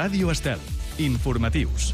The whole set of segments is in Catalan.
Ràdio Estel. Informatius.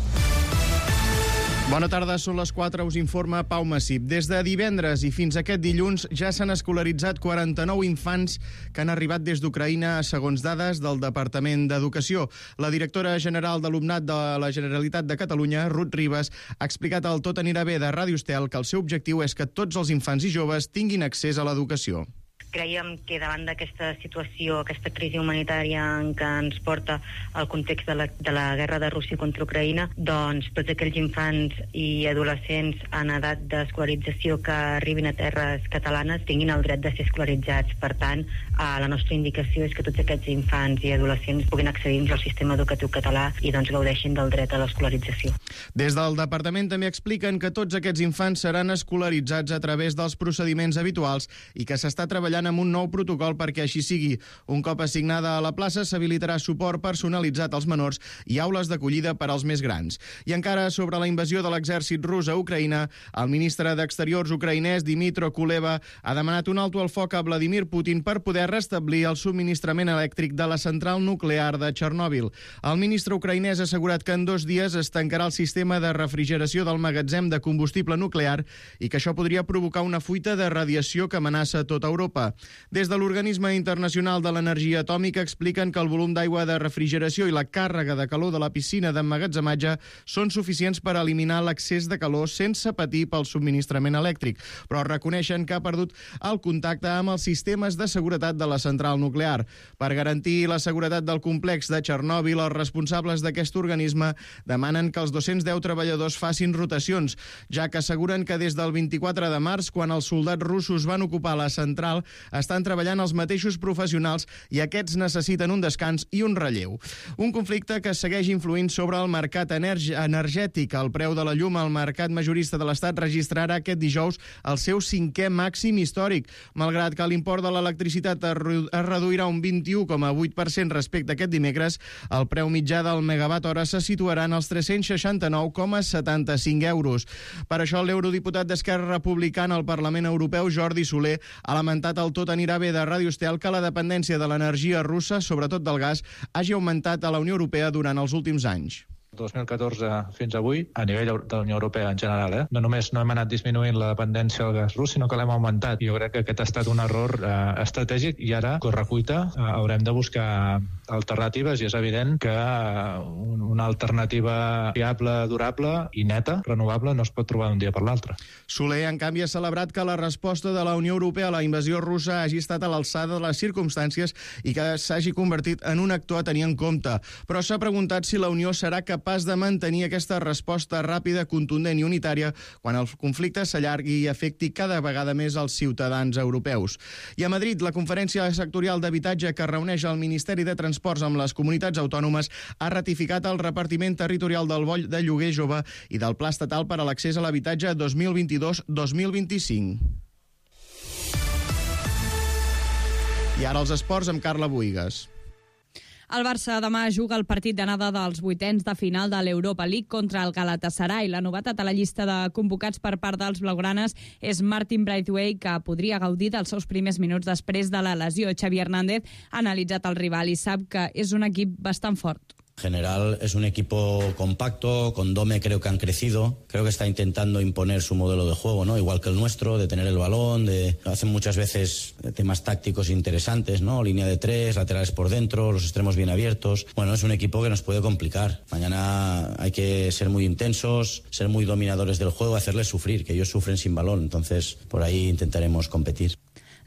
Bona tarda, són les 4, us informa Pau Massip. Des de divendres i fins aquest dilluns ja s'han escolaritzat 49 infants que han arribat des d'Ucraïna, segons dades del Departament d'Educació. La directora general d'Alumnat de la Generalitat de Catalunya, Ruth Ribas, ha explicat al Tot anirà bé de Ràdio Estel que el seu objectiu és que tots els infants i joves tinguin accés a l'educació. Creiem que davant d'aquesta situació, aquesta crisi humanitària en què ens porta el context de la guerra de Rússia contra Ucraïna, doncs tots aquells infants i adolescents en edat d'escolarització que arribin a terres catalanes tinguin el dret de ser escolaritzats. Per tant, la nostra indicació és que tots aquests infants i adolescents puguin accedir al sistema educatiu català i doncs gaudeixin del dret a l'escolarització. Des del departament també expliquen que tots aquests infants seran escolaritzats a través dels procediments habituals i que s'està treballant amb un nou protocol perquè així sigui. Un cop assignada a la plaça, s'habilitarà suport personalitzat als menors i aules d'acollida per als més grans. I encara sobre la invasió de l'exèrcit rus a Ucraïna, el ministre d'Exteriors ucraïnès Dmytro Kuleba ha demanat un alto al foc a Vladimir Putin per poder restablir el subministrament elèctric de la central nuclear de Txernòbil. El ministre ucraïnès ha assegurat que en 2 dies es tancarà el sistema de refrigeració del magatzem de combustible nuclear i que això podria provocar una fuita de radiació que amenaça tota Europa. Des de l'Organisme Internacional de l'Energia Atòmica expliquen que el volum d'aigua de refrigeració i la càrrega de calor de la piscina d'emmagatzematge són suficients per eliminar l'excés de calor sense patir pel subministrament elèctric, però reconeixen que ha perdut el contacte amb els sistemes de seguretat de la central nuclear. Per garantir la seguretat del complex de Txernòbil, els responsables d'aquest organisme demanen que els 210 treballadors facin rotacions, ja que asseguren que des del 24 de març, quan els soldats russos van ocupar la central, estan treballant els mateixos professionals i aquests necessiten un descans i un relleu. Un conflicte que segueix influint sobre el mercat energètic. El preu de la llum al mercat majorista de l'Estat registrarà aquest dijous el seu 5è màxim històric. Malgrat que l'import de l'electricitat es reduirà un 21,8% respecte a aquest dimecres, el preu mitjà del megawatt hora se situarà en els 369,75 euros. Per això, l'eurodiputat d'Esquerra Republicana al Parlament Europeu, Jordi Soler, ha lamentat al Tot anirà bé de Ràdio Estel que la dependència de l'energia russa, sobretot del gas, hagi augmentat a la Unió Europea durant els últims anys. 2014 fins avui, a nivell de la Unió Europea en general, no només no hem anat disminuint la dependència del gas rus, sinó que l'hem augmentat. Jo crec que aquest ha estat un error estratègic i ara, correcuita, haurem de buscar alternatives i és evident que una alternativa fiable, durable i neta, renovable, no es pot trobar d'un dia per l'altre. Soler, en canvi, ha celebrat que la resposta de la Unió Europea a la invasió russa hagi estat a l'alçada de les circumstàncies i que s'hagi convertit en un actor a tenir en compte. Però s'ha preguntat si la Unió serà capaç de mantenir aquesta resposta ràpida, contundent i unitària quan el conflicte s'allargui i afecti cada vegada més els ciutadans europeus. I a Madrid, la Conferència Sectorial d'Habitatge que reuneix el Ministeri de Transports amb les comunitats autònomes ha ratificat el repartiment territorial del Boll de Lloguer Jove i del Pla Estatal per a l'Accés a l'Habitatge 2022-2025. I ara els esports amb Carla Buïgas. El Barça demà juga el partit d'anada dels 8ens de final de l'Europa League contra el Galatasaray. La novetat a la llista de convocats per part dels blaugranes és Martin Braithwaite, que podria gaudir dels seus primers minuts després de la lesió. Xavi Hernández ha analitzat el rival i sap que és un equip bastant fort. En general es un equipo compacto, con Dome creo que han crecido, creo que está intentando imponer su modelo de juego, ¿no? Igual que el nuestro, de tener el balón, hacen muchas veces temas tácticos interesantes, ¿no? Línea de 3, laterales por dentro, los extremos bien abiertos. Bueno, es un equipo que nos puede complicar. Mañana hay que ser muy intensos, ser muy dominadores del juego, hacerles sufrir, que ellos sufren sin balón, entonces por ahí intentaremos competir.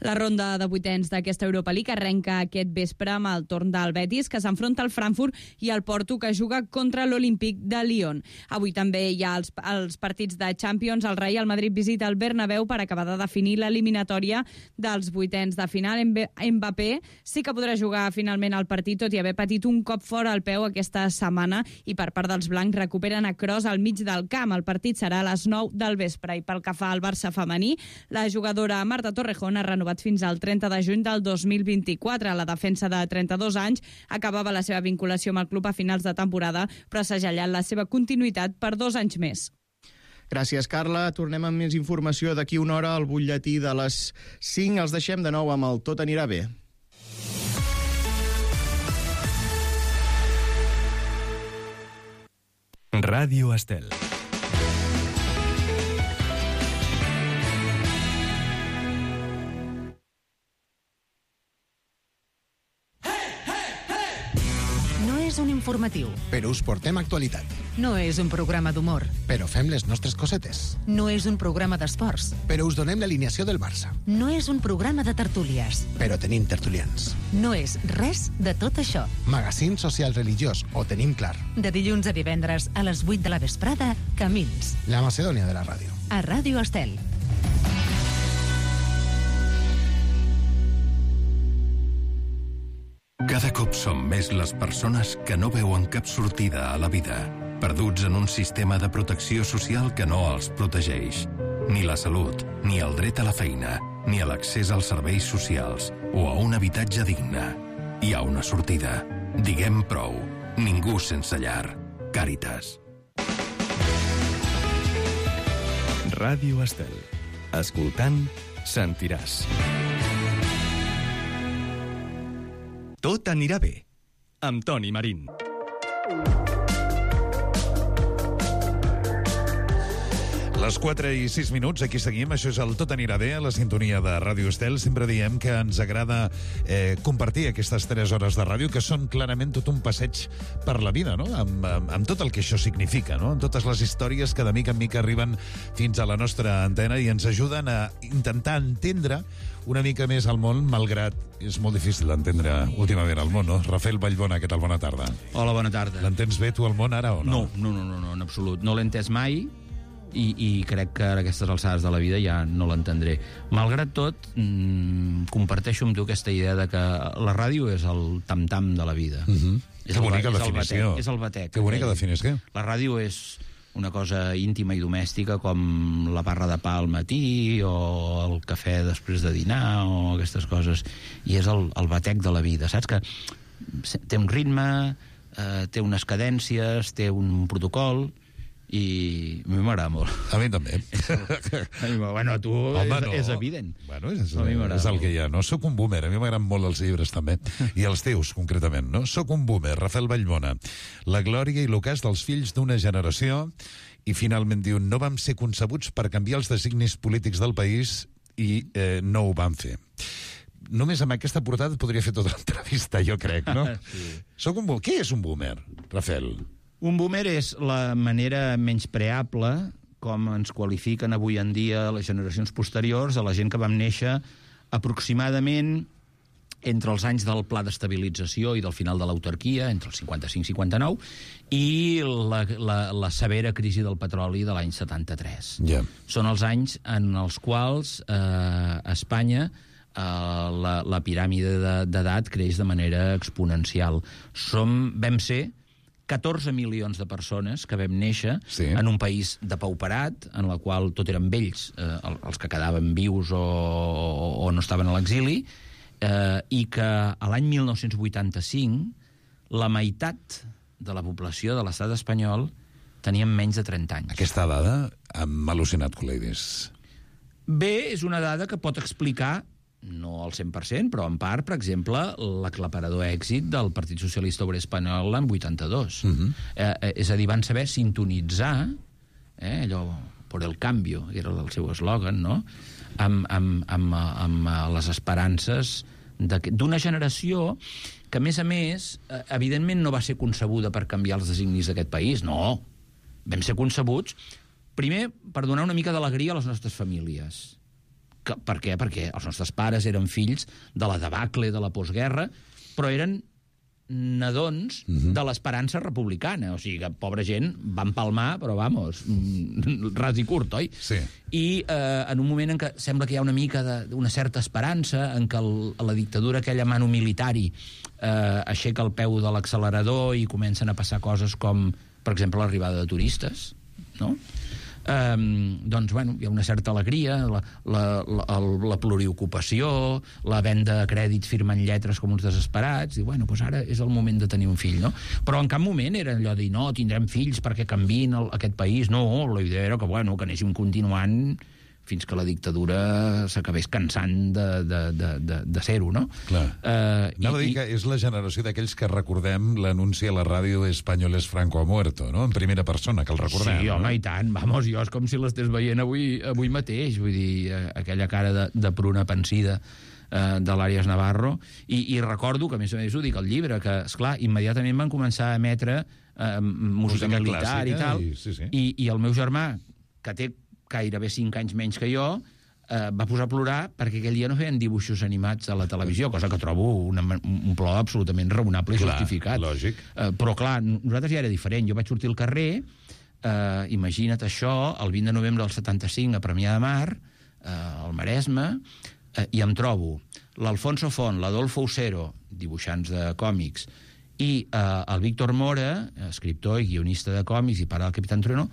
La ronda de vuitens d'aquesta Europa League arrenca aquest vespre amb el torn del Betis, que s'enfronta al Frankfurt, i el Porto, que juga contra l'Olímpic de Lyon. Avui també hi ha els partits de Champions. El Real Madrid visita el Bernabéu per acabar de definir l'eliminatòria dels vuitens de final. Mbappé sí que podrà jugar finalment el partit, tot i haver patit un cop fora al peu aquesta setmana, i per part dels blancs recuperen a Kroos al mig del camp. El partit serà a les 9 del vespre. I pel que fa al Barça femení, la jugadora Marta Torrejón ha renovat fins al 30 de juny del 2024. La defensa de 32 anys acabava la seva vinculació amb el club a finals de temporada, però s'ha segellat la seva continuïtat per 2 anys més. Gràcies, Carla. Tornem amb més informació d'aquí una hora al butlletí de les 5. Els deixem de nou amb el Tot anirà bé. Ràdio Estel. No és un informatiu. Però us portem actualitat. No és un programa d'humor. Però fem les nostres cosetes. No és un programa d'esports. Però us donem l'alineació del Barça. No és un programa de tertúlies. Però tenim tertulians. No és res de tot això. Magazín social religiós, ho tenim clar. De dilluns a divendres a les 8 de la vesprada, Camins. La Macedònia de la ràdio. A Ràdio Estel. Cada cop som més les persones que no veuen cap sortida a la vida, perduts en un sistema de protecció social que no els protegeix. Ni la salut, ni el dret a la feina, ni a l'accés als serveis socials o a un habitatge digne. Hi ha una sortida. Diguem prou. Ningú sense llar. Càritas. Ràdio Estel. Escoltant, sentiràs. Tot anirà bé, amb Toni Marín. Les 4 i 6 minuts, aquí seguim. Això és el Tot anirà bé, a la sintonia de Ràdio Estel. Sempre diem que ens agrada compartir aquestes 3 hores de ràdio, que són clarament tot un passeig per la vida, no? Amb tot el que això significa, no? Amb totes les històries que de mica en mica arriben fins a la nostra antena i ens ajuden a intentar entendre una mica més el món, malgrat és molt difícil d'entendre últimament el món, no? Rafael Vallbona, què tal? Bona tarda. Hola, bona tarda. L'entens bé tu el món ara o no? No, en absolut. No l'he entès mai i crec que a aquestes alçades de la vida ja no l'entendré. Malgrat tot, comparteixo amb tu aquesta idea de que la ràdio és el tam-tam de la vida. Que bonica definició. És el batec. Que bonica definició. La ràdio és una cosa íntima i domèstica com la barra de pa al matí o el cafè després de dinar o aquestes coses. I és el batec de la vida. Saps que té un ritme, té unes cadències, té un protocol i a mi m'agrada molt. A mi també. Bueno, a tu és evident. Bueno, és el que hi ha, no? Soc un boomer, a mi m'agraden molt els llibres també, i els teus concretament, no? Soc un boomer, Rafael Vallbona. La glòria i l'ocàs dels fills d'una generació, i finalment diu, no vam ser concebuts per canviar els designis polítics del país i no ho vam fer. Només amb aquesta portada podria fer tota l'entrevista, jo crec, no? Sí. Soc un boomer. Què és un boomer, Rafael? Un boomer és la manera menyspreable com ens qualifiquen avui en dia les generacions posteriors a la gent que vam néixer aproximadament entre els anys del pla d'estabilització i del final de l'autarquia, entre el 55 i 59, i la severa crisi del petroli de l'any 73. Yeah. Són els anys en els quals a Espanya la piràmide d'edat creix de manera exponencial. Vam ser 14 milions de persones que vam néixer en un país depauperat, en la qual tot eren vells, els que quedaven vius o no estaven a l'exili, i que a l'any 1985 la meitat de la població de l'estat espanyol tenien menys de 30 anys. Aquesta dada m'ha al·lucinat, col·leguis. Bé, és una dada que pot explicar, no al 100%, però en part, per exemple, l'aclaparador èxit del Partit Socialista Obrer Espanyol l'any 82. És a dir, van saber sintonitzar, allò, por el cambio, que era el seu eslògan, no?, amb les esperances d'una generació que, a més, evidentment no va ser concebuda per canviar els designis d'aquest país, no. Vam ser concebuts, primer, per donar una mica d'alegria a les nostres famílies. Per què? Perquè els nostres pares eren fills de la debacle de la postguerra, però eren nadons de l'esperança republicana. O sigui que, pobra gent, van palmar, però, vamos, ras i curt, oi? Sí. I en un moment en què sembla que hi ha una mica d'una certa esperança, en què la dictadura, aquella mano militari, aixeca el peu de l'accelerador i comencen a passar coses com, per exemple, l'arribada de turistes, no?, doncs, bueno, hi ha una certa alegria, la pluriocupació, la venda de crèdits firmant lletres com uns desesperats, i, bueno, doncs ara és el moment de tenir un fill, no? Però en cap moment era allò de dir, no, tindrem fills perquè canviïn aquest país. No, la idea era que, bueno, que anéssim continuant fins que la dictadura s'acabés cansant de ser-ho, no? Clar. Anava a dir que és la generació d'aquells que recordem l'anunci a la ràdio Españoles Franco ha muerto, no? En primera persona, que el recordem. Sí, home, no? I tant. Vamos, jo és com si l'estés veient avui mateix. Vull dir, aquella cara de pruna pensida de l'Àries Navarro. I recordo, que a més ho dic al llibre, que, esclar, immediatament van començar a emetre música militar i tal. I el meu germà, que té gairebé 5 anys menys que jo, va posar a plorar perquè aquell dia no feien dibuixos animats a la televisió, cosa que trobo un plor absolutament raonable i justificat. Lògic. Però, clar, nosaltres ja era diferent. Jo vaig sortir al carrer, imagina't això, el 20 de novembre del 75 a Premià de Mar, al Maresme, i em trobo l'Alfonso Font, l'Adolfo Usero, dibuixants de còmics, i el Víctor Mora, escriptor i guionista de còmics i pare del Capitán Trueno,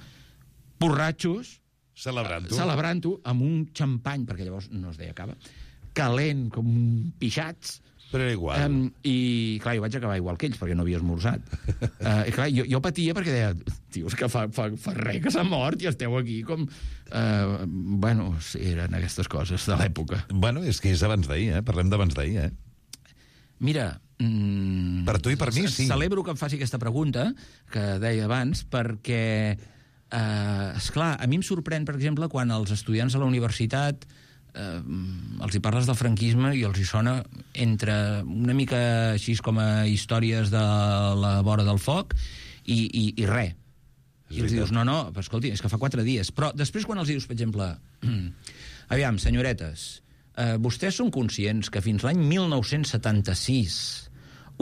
borratxos, celebrant-ho amb un xampany, perquè llavors no es deia cava, calent com pixats. Però era igual. I, clar, jo vaig acabar igual que ells, perquè no havia esmorzat. I, clar, jo patia perquè deia, tios, que fa res que s'ha mort i esteu aquí com... Bueno, eren aquestes coses de l'època. Bueno, és que és abans d'ahir, Parlem d'abans d'ahir, Mira... Per tu i per mi, sí. Celebro que em faci aquesta pregunta, que deia abans, perquè... esclar, a mi em sorprèn, per exemple, quan els estudiants a la universitat els hi parles del franquisme i els hi sona entre una mica així com a històries de la vora del foc i res. I els dius, no, però escolti, és que fa 4 dies. Però després quan els dius, per exemple, aviam, senyoretes, vostès són conscients que fins l'any 1976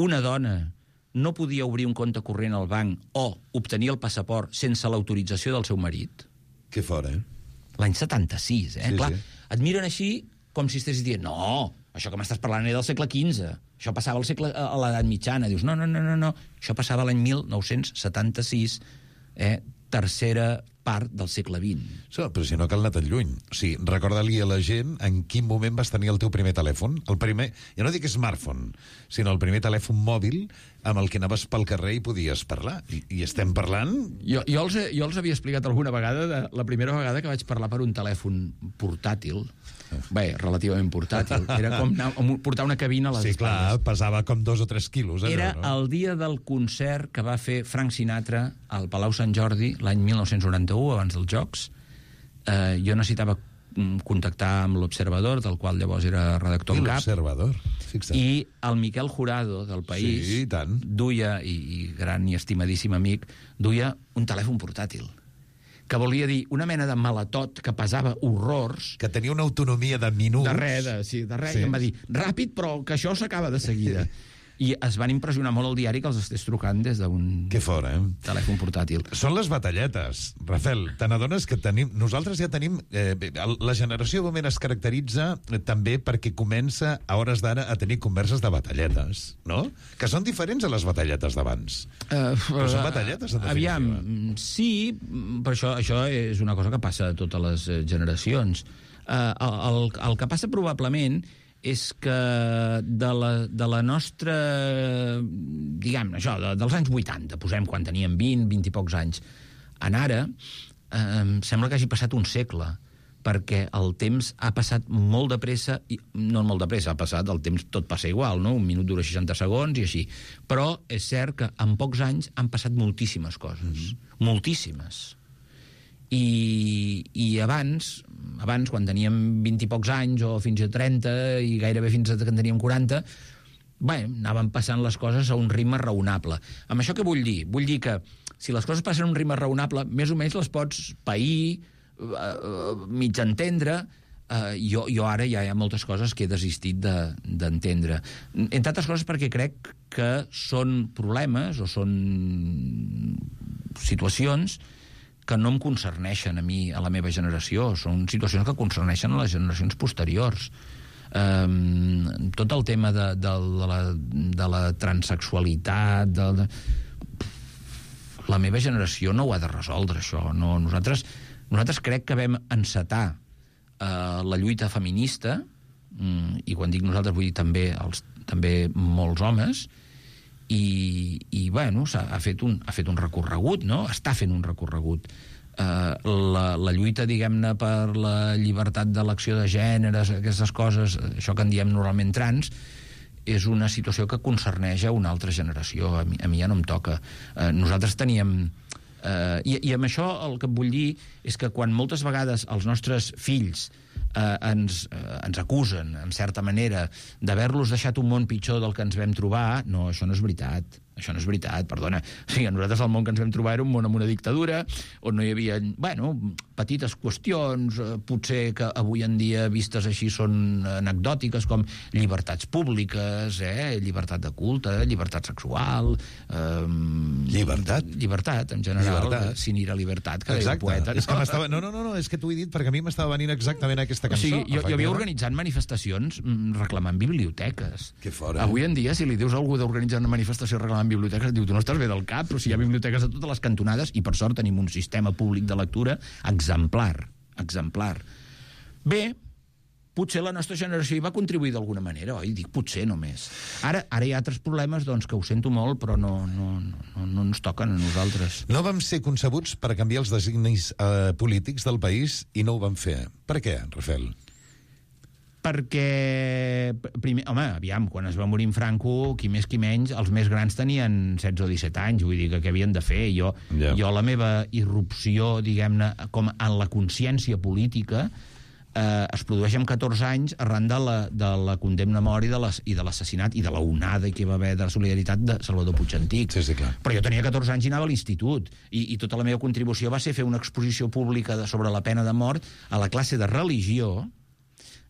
una dona no podia obrir un compte corrent al banc o obtenir el passaport sense l'autorització del seu marit? Que fora, L'any 76, Sí, clar. sí. Et miren així com si estiguessis dient, no, això que m'estàs parlant era del segle XV, això passava a l'edat mitjana. Dius, no, això passava l'any 1976, tercera part del segle XX. Però si no cal anar tan lluny. O sigui, recorda-li a la gent en quin moment vas tenir el teu primer telèfon. El primer, ja no dic smartphone, sinó el primer telèfon mòbil amb el que anaves pel carrer i podies parlar. I estem parlant... Jo els havia explicat alguna vegada, la primera vegada que vaig parlar per un telèfon portàtil, relativament portàtil, era com portar una cabina a les espatlles. Sí, clar, pesava com 2 o 3 quilos. Era el dia del concert que va fer Frank Sinatra al Palau Sant Jordi l'any 1991, abans dels Jocs. Jo necessitava contactar amb l'Observador, del qual llavors era redactor en cap. L'Observador, fixa't. I el Miquel Jurado, del País, sí, i tant. duia, i gran i estimadíssim amic, duia un telèfon portàtil, que volia dir una mena de malatot que pesava horrors. Que tenia una autonomia de minuts. De res, i em va dir, ràpid, però que això s'acaba de seguida. I es van impressionar molt al diari que els estés trucant des d'un telèfon portàtil. Són les batalletes. Rafael, te n'adones que nosaltres ja tenim... la generació boomer es caracteritza també perquè comença a hores d'ara a tenir converses de batalletes, no? Que són diferents a les batalletes d'abans. Però són batalletes, en definitiva. Aviam, sí, però això és una cosa que passa a totes les generacions. El que passa probablement és que de la nostra, diguem, això, dels anys 80, posem quan teníem 20 i pocs anys, en ara, sembla que hagi passat un segle, perquè el temps ha passat molt de pressa, no molt de pressa, ha passat, el temps tot passa igual, no? 1 minut dura 60 segons i així. Però és cert que en pocs anys han passat moltíssimes coses, moltíssimes. I abans, quan teníem 20 i pocs anys, o fins a 30, i gairebé fins a que en teníem 40, anaven passant les coses a un ritme raonable. Amb això què vull dir? Vull dir que si les coses passen a un ritme raonable, més o menys les pots pair, mig entendre. Jo ara ja hi ha moltes coses que he desistit d'entendre. Entre altres coses perquè crec que són problemes o són situacions que no em concerneixen a mi, a la meva generació. Són situacions que concerneixen a les generacions posteriors. Tot el tema de la transexualitat, la meva generació no ho ha de resoldre, això. Nosaltres crec que vam encetar la lluita feminista, i quan dic nosaltres vull dir també molts homes, i ha fet un recorregut, no? Està fent un recorregut. la lluita, diguem-ne, per la llibertat d'elecció de gèneres, aquestes coses, això que en diem normalment trans, és una situació que concerneix a una altra generació. A mi ja no em toca. Nosaltres teníem... I amb això el que et vull dir és que quan moltes vegades els nostres fills ens acusen, en certa manera, d'haver-los deixat un món pitjor del que ens vam trobar, no, això no és veritat. Això no és veritat, perdona. O sigui, nosaltres el món que ens vam trobar era un món amb una dictadura, on no hi havia, bueno, petites qüestions, potser que avui en dia vistes així són anecdòtiques, com llibertats públiques, llibertat de culte, llibertat sexual... Llibertat? Llibertat, en general. Sin ira libertat, que deia el poeta. És que m'estava... No, és que t'ho he dit perquè a mi m'estava venint exactament aquesta cançó. O sigui, jo havia organitzat manifestacions reclamant biblioteques. Que fora. Avui en dia, si li dius a algú d'organitzar una manifestació reclamant biblioteques, diu, tu no estàs bé del cap, però si hi ha biblioteques a totes les cantonades, i per sort tenim un sistema públic de lectura exemplar. Bé, potser la nostra generació hi va contribuir d'alguna manera, oi? Dic potser només. Ara hi ha altres problemes, doncs, que ho sento molt, però no ens toquen a nosaltres. No vam ser concebuts per canviar els designis polítics del país i no ho vam fer. Per què, Rafael? Perquè, primer, home, aviam, quan es va morir en Franco, qui més qui menys, els més grans tenien 16 o 17 anys, vull dir que què havien de fer? Jo la meva irrupció, diguem-ne, com en la consciència política, es produeix amb 14 anys arran de la condemna a mort i de l'assassinat i de la onada que hi va haver de la solidaritat de Salvador Puig Antich. Sí, clar. Però jo tenia 14 anys i anava a l'institut, i tota la meva contribució va ser fer una exposició pública sobre la pena de mort a la classe de religió,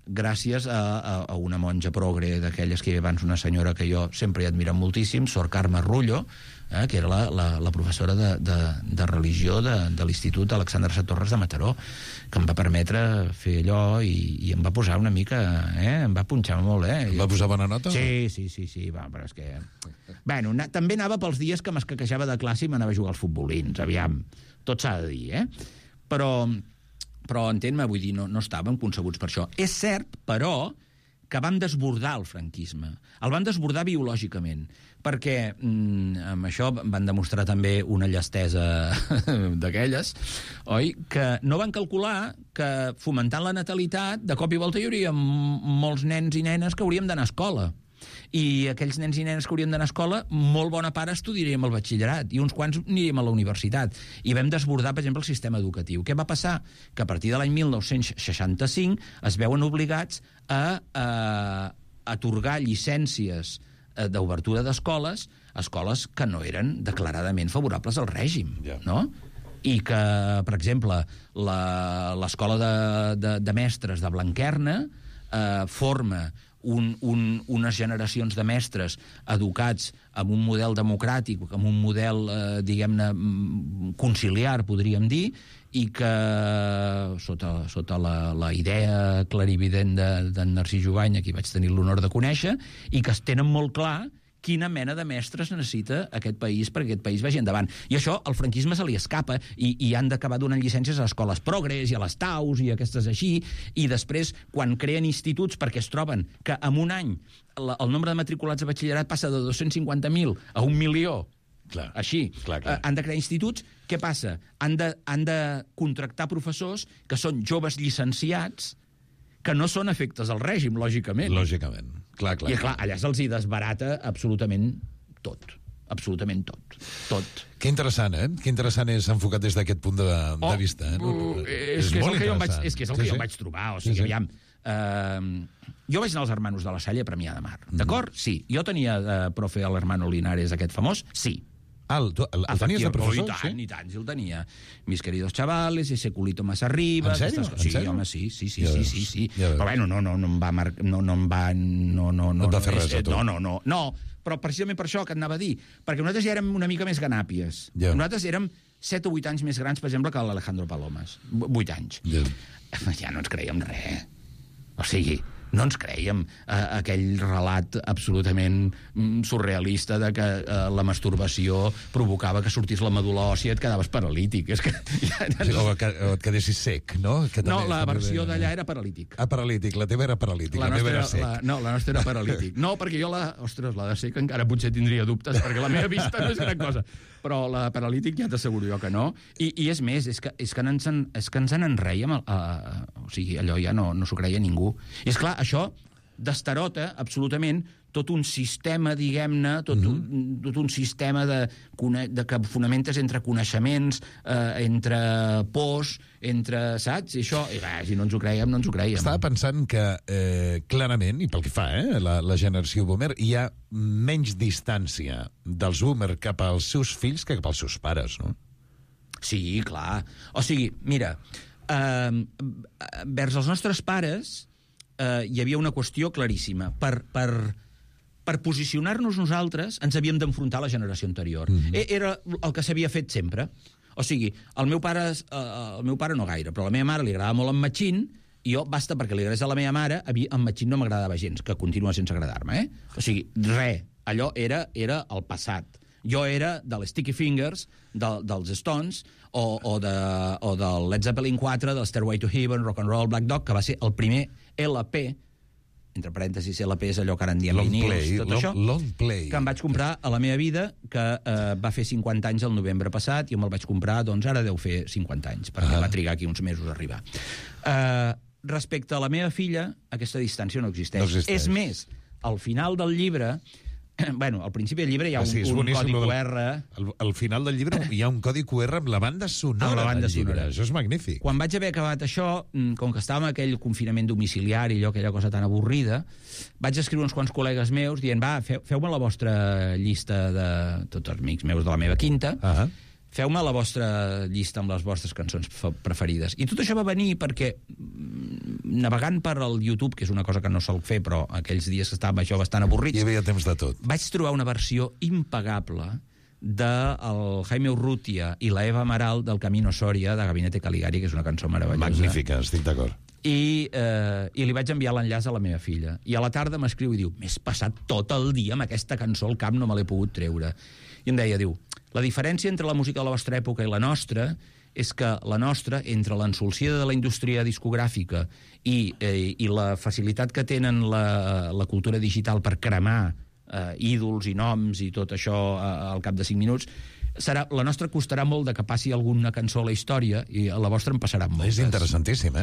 gràcies a una monja progre d'aquelles que hi havia abans, una senyora que jo sempre he admirat moltíssim, Sor Carme Rullo, que era la professora de religió de l'Institut Alexandre Satorres de Mataró, que em va permetre fer allò i em va posar una mica... em va punxar molt, Em va posar bona nota? Sí, va, però és que... Bueno, també anava pels dies que m'escaquejava de classe i m'anava a jugar als futbolins, aviam. Tot s'ha de dir, Però entén-me, vull dir, no estàvem concebuts per això. És cert, però, que van desbordar el franquisme. El van desbordar biològicament, perquè amb això van demostrar també una llestesa d'aquelles, oi? Que no van calcular que fomentant la natalitat, de cop i volta hi hauria molts nens i nenes que hauríem d'anar a escola. I aquells nens i nenes que hauríem d'anar a escola, molt bona part estudiaríem el batxillerat i uns quants aniríem a la universitat. I vam desbordar, per exemple, el sistema educatiu. Què va passar? Que a partir de l'any 1965 es veuen obligats a atorgar llicències d'obertura d'escoles, escoles que no eren declaradament favorables al règim, no? I que, per exemple, l'escola de mestres de Blanquerna forma unes generacions de mestres educats amb un model democràtic, amb un model, diguem-ne, conciliar, podríem dir, i que, sota la idea clarivident d'en Narcís Jubany, a qui vaig tenir l'honor de conèixer, i que es tenen molt clar quina mena de mestres necessita aquest país perquè aquest país vagi endavant. I això al franquisme se li escapa i han d'acabar donant llicències a escoles progres i a les TAUs i aquestes així, i després, quan creen instituts perquè es troben que en un any el nombre de matriculats a batxillerat passa de 250.000 a 1 milió, clar, així, clar. Han de crear instituts, què passa? Han de contractar professors que són joves llicenciats que no són efectes al règim, lògicament. Lògicament, clar. I clar, allà se'ls hi desbarata absolutament tot. Absolutament tot. Que interessant, Que interessant és enfocat des d'aquest punt de vista. És que és el que jo em vaig trobar. O sigui, aviam... Jo vaig anar als Hermanos de la Salle a Premià de Mar. D'acord? Sí. Jo tenia de profe a l'Hermano Linares, aquest famós? Sí. El tenies de professor? I tant, sí el tenia. Mis queridos chavales, ese culito más arriba... En sèrio? Sí, home, sí. Però bueno, no em va marcar... No em va fer res a tu? No, però precisament per això que et anava a dir, perquè nosaltres ja érem una mica més ganàpies. Nosaltres érem 7 o 8 anys més grans, per exemple, que l'Alejandro Palomas. 8 anys. Ja no ens creiem res. O sigui, No ens creiem aquell relat absolutament surrealista de que la masturbació provocava que sortís la medul·la òssia i et quedaves paralític. És que... O et quedessis sec, no? No, la versió d'allà era paralític. Paralític, la teva era paralític, la meva era sec. No, la nostra era paralític. No, perquè jo la de sec encara potser tindria dubtes, perquè la meva vista no és gran cosa. Però la paralític ja t'asseguro jo que no. I és més, és que ens en enreiem, o sigui, allò ja no s'ho creia ningú. I és clar, això destarota absolutament tot un sistema, diguem-ne, tot un sistema de que fonamentes entre coneixements, entre pors, entre, saps? I això, si no ens ho creiem, no ens ho creiem. Estava pensant que, clarament, i pel que fa, la generació boomer, hi ha menys distància dels boomer cap als seus fills que cap als seus pares, no? Sí, clar. O sigui, mira, vers els nostres pares hi havia una qüestió claríssima. Per posicionar-nos nosaltres ens havíem d'enfrontar a la generació anterior. Era el que s'havia fet sempre. O sigui, el meu pare no gaire, però a la meva mare li agradava molt en Machín, i jo, basta perquè li agradés a la meva mare, en Machín no m'agradava gens, que continua sense agradar-me, O sigui, allò era el passat. Jo era de les Sticky Fingers, dels Stones, o del Led Zeppelin 4, del Stairway to Heaven, Rock and Roll, Black Dog, que va ser el primer LP, entre parèntesis, LP és allò que ara en diem vinils, tot això, que em vaig comprar a la meva vida, que va fer 50 anys el novembre passat, i me'l vaig comprar, doncs ara deu fer 50 anys, perquè va trigar aquí uns mesos a arribar. Respecte a la meva filla, aquesta distància no existeix. És més, al final del llibre... Bueno, al principi del llibre hi ha un codi QR... Al final del llibre hi ha un codi QR amb la banda sonora del llibre. Això és magnífic. Quan vaig haver acabat això, com que estàvem en aquell confinament domiciliari, aquella cosa tan avorrida, vaig escriure uns quants col·legues meus dient, feu-me la vostra llista de tots els amics meus de la meva quinta, feu-me la vostra llista amb les vostres cançons preferides. I tot això va venir perquè, navegant per el YouTube, que és una cosa que no sol fer, però aquells dies que estàvem això bastant avorrits... Hi havia temps de tot. Vaig trobar una versió impagable del Jaime Urrutia i la Eva Amaral del Camino Soria de Gabinete Caligari, que és una cançó meravellosa. Magnífica, estic d'acord. I li vaig enviar l'enllaç a la meva filla. I a la tarda m'escriu i diu, m'he passat tot el dia amb aquesta cançó al cap, no me l'he pogut treure. I em deia, la diferència entre la música de la vostra època i la nostra és que la nostra, entre l'ensolcida de la indústria discogràfica i la facilitat que tenen la cultura digital per cremar ídols i noms i tot això al cap de 5 minuts, la nostra costarà molt de que passi alguna cançó a la història i a la vostra en passaran moltes. És interessantíssim,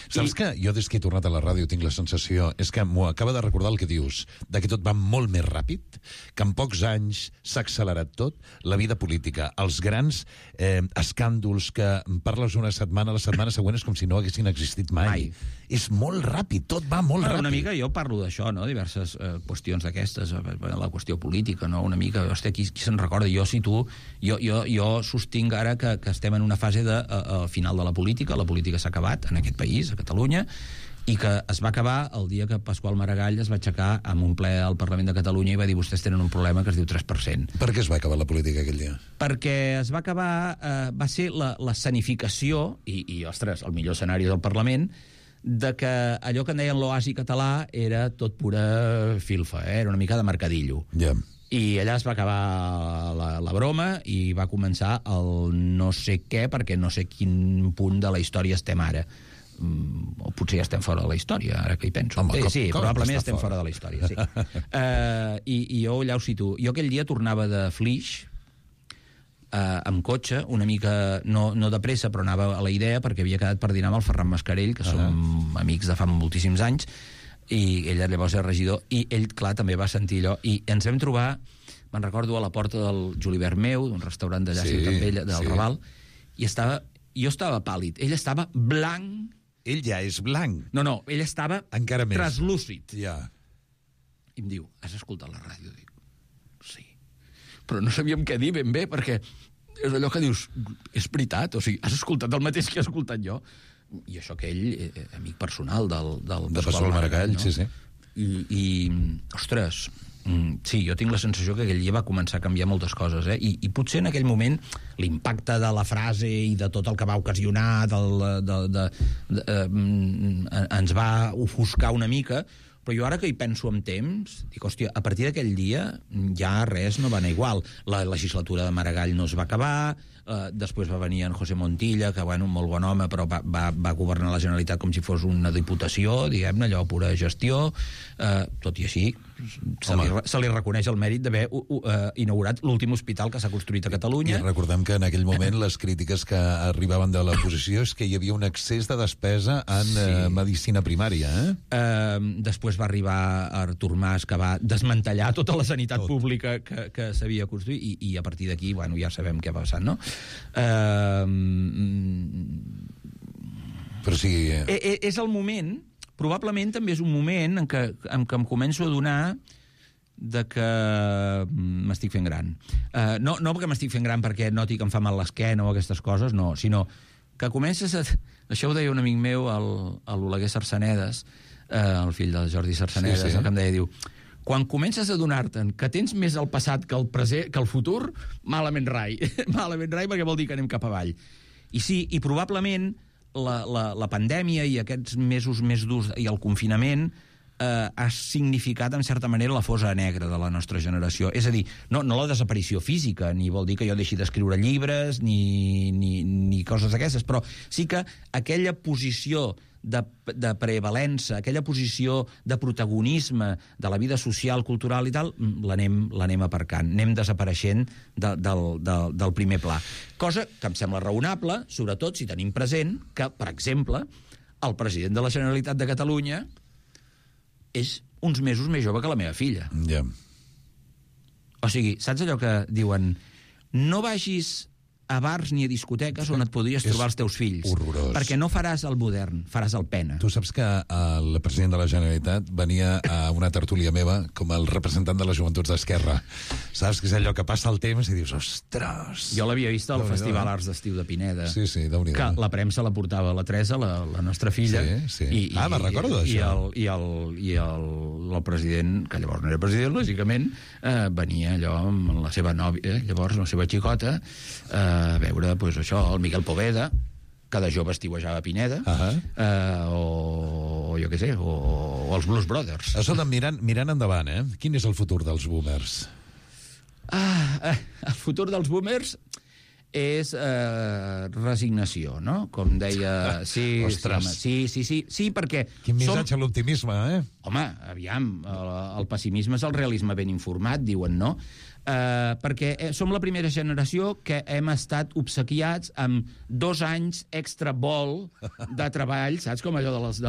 Saps que jo des que he tornat a la ràdio tinc la sensació, és que m'ho acaba de recordar el que dius, de que tot va molt més ràpid, que en pocs anys s'ha accelerat tot, la vida política, els grans escàndols que parles una setmana, la setmana següent és com si no haguessin existit mai. És molt ràpid, tot va molt ràpid. Una mica jo parlo d'això, no? Diverses qüestions d'aquestes, la qüestió política, no? Una mica, hòstia, qui se'n recorda? Jo sostinc ara que estem en una fase de final de la política s'ha acabat en aquest país, a Catalunya, i que es va acabar el dia que Pasqual Maragall es va aixecar amb un ple al Parlament de Catalunya i va dir vostès tenen un problema que es diu 3%. Per què es va acabar la política aquell dia? Perquè es va acabar, va ser l'escenificació, i ostres, el millor escenari del Parlament, de que allò que en deien l'oasi català era tot pura filfa, era una mica de mercadillo. I allà es va acabar la broma i va començar el no sé què, perquè no sé quin punt de la història estem ara. O potser ja estem fora de la història, ara que hi penso. Sí, probablement estem fora de la història, sí. I jo allà ho situo. Jo aquell dia tornava de Flix, amb cotxe, una mica, no de pressa, però anava a la idea, perquè havia quedat per dinar amb el Ferran Mascarell, que som amics de fa moltíssims anys, i ell llavors era regidor, i ell, clar, també va sentir allò, i ens vam trobar, me'n recordo, a la porta del Julivert Meu, d'un restaurant d'allà a Ciutat Vella, del Raval, i jo estava pàl·lid, ell estava blanc. Ell ja és blanc. No, ell estava encara més traslúcid. Ja. I em diu, has escoltat la ràdio? Dic, sí. Però no sabíem què dir ben bé, perquè és allò que dius, és veritat, o sigui, has escoltat el mateix que he escoltat jo. I això que ell, amic personal del Pasqual Maragall, no? Sí. I, ostres, Sí, jo tinc la sensació que aquell dia va començar a canviar moltes coses, I potser en aquell moment l'impacte de la frase i de tot el que va ocasionar ens va ofuscar una mica, però jo ara que hi penso amb temps, dic, hòstia, a partir d'aquell dia ja res no va anar igual. La legislatura de Maragall no es va acabar, després va venir en José Montilla, que, bueno, un molt bon home, però va governar la Generalitat com si fos una diputació, diguem-ne, allò, pura gestió, tot i així se li reconeix el mèrit d'haver inaugurat l'últim hospital que s'ha construït a Catalunya. I recordem que en aquell moment les crítiques que arribaven de l'oposició és que hi havia un excés de despesa en medicina primària. Després va arribar Artur Mas, que va desmantellar tota la sanitat pública que s'havia construït, i a partir d'aquí, bueno, ja sabem què va passar, no? Però sí... És el moment, probablement també és un moment en què em començo a adonar de que m'estic fent gran. No perquè m'estic fent gran perquè noti que em fa mal l'esquena o aquestes coses, no, sinó que comences a... Això ho deia un amic meu, l'Oleguer Sarsanedes, el fill del Jordi Sarsanedes, que em deia, diu, quan comences a donar-te'n que tens més el passat que el present, que el futur, malament rai. Malament rai, perquè vol dir que anem cap avall. I sí, i probablement la pandèmia i aquests mesos més durs i el confinament ha significat, en certa manera, la fosa negra de la nostra generació. És a dir, no la desaparició física, ni vol dir que jo deixi d'escriure llibres, ni coses d'aquestes, però sí que aquella posició de prevalença, aquella posició de protagonisme de la vida social, cultural i tal, l'anem aparcant, anem desapareixent del primer pla. Cosa que em sembla raonable, sobretot si tenim present que, per exemple, el president de la Generalitat de Catalunya és uns mesos més jove que la meva filla. Ja. O sigui, saps allò que diuen no vagis a bars ni a discoteques on et podries trobar els teus fills. Horrorós. Perquè no faràs el modern, faràs el pena. Tu saps que el president de la Generalitat venia a una tertúlia meva com el representant de les joventuts d'Esquerra. Saps que és allò que passa el temps i dius, ostres... Jo l'havia vist al Festival Arts d'Estiu de Pineda. Sí, Déu-n'hi-do. Que la premsa la portava la Teresa, la nostra filla. Sí. Me'n recordo d'això. I el president, que llavors no era president, lògicament, venia allò amb la seva nòvia, llavors la seva xicota, a veure, doncs això, el Miguel Poveda, que de jove estiuejava a Pineda, o jo què sé, o els Blues Brothers. Escolta, mirant endavant, quin és el futur dels boomers? El futur dels boomers és resignació, no? Com deia... Ostres. Sí, perquè... Quin missatge a l'optimisme, Home, aviam, el pessimisme és el realisme ben informat, diuen, no? Perquè som la primera generació que hem estat obsequiats amb 2 anys extra vol de treball, saps, com allò dels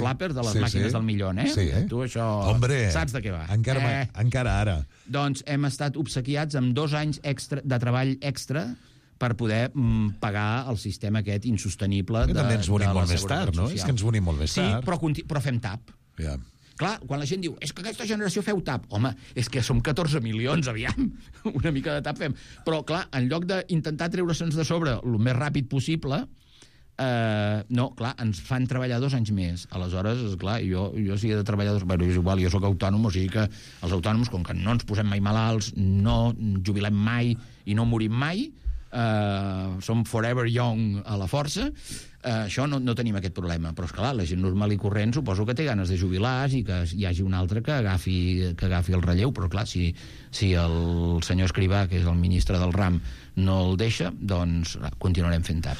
flappers, de les màquines del milió, Sí. Tu això... Hombre, saps de què va? Encara ara. Doncs hem estat obsequiats amb 2 anys extra de treball extra per poder pagar el sistema aquest insostenible de la També ens venim molt més Seguretat tard, no? Social. És que ens venim molt més tard. Sí, però fem tap. Ja. Clar, quan la gent diu, és que aquesta generació feu tap. Home, és que som 14 milions, aviam. Una mica de tap fem. Però, clar, en lloc d'intentar treure-se'ns de sobre el més ràpid possible, no, clar, ens fan treballar 2 anys més. Aleshores, esclar, jo si he de treballar... Bueno, és igual, jo sóc autònom, o sigui que els autònoms, com que no ens posem mai malalts, no jubilem mai i no morim mai, som forever young a la força, això no tenim aquest problema. Però, esclar, la gent normal i corrent suposo que té ganes de jubilar i que hi hagi un altre que agafi el relleu. Però, clar, si el senyor Escrivà, que és el ministre del RAM, no el deixa, doncs continuarem fent tap.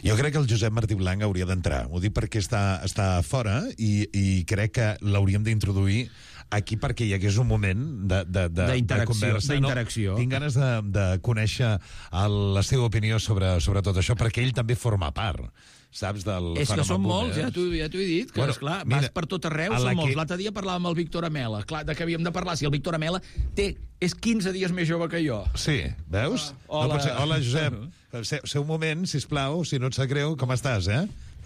Jo crec que el Josep Martí Blanc hauria d'entrar. Ho dic perquè està fora i crec que l'hauríem d'introduir aquí perquè hi hagués un moment de conversa. D'interacció. Tinc ganes de conèixer la seva opinió sobre tot això, perquè ell també forma part, saps, del fenomen. És que són molts, ja t'ho he dit, que, esclar, vas per tot arreu, són molts. L'altre dia parlàvem amb el Víctor Amela, clar, de què havíem de parlar, si el Víctor Amela és 15 dies més jove que jo. Sí, veus? Hola. No pot ser. Hola, Josep. Ser un moment, sisplau, si no et sap greu, com estàs,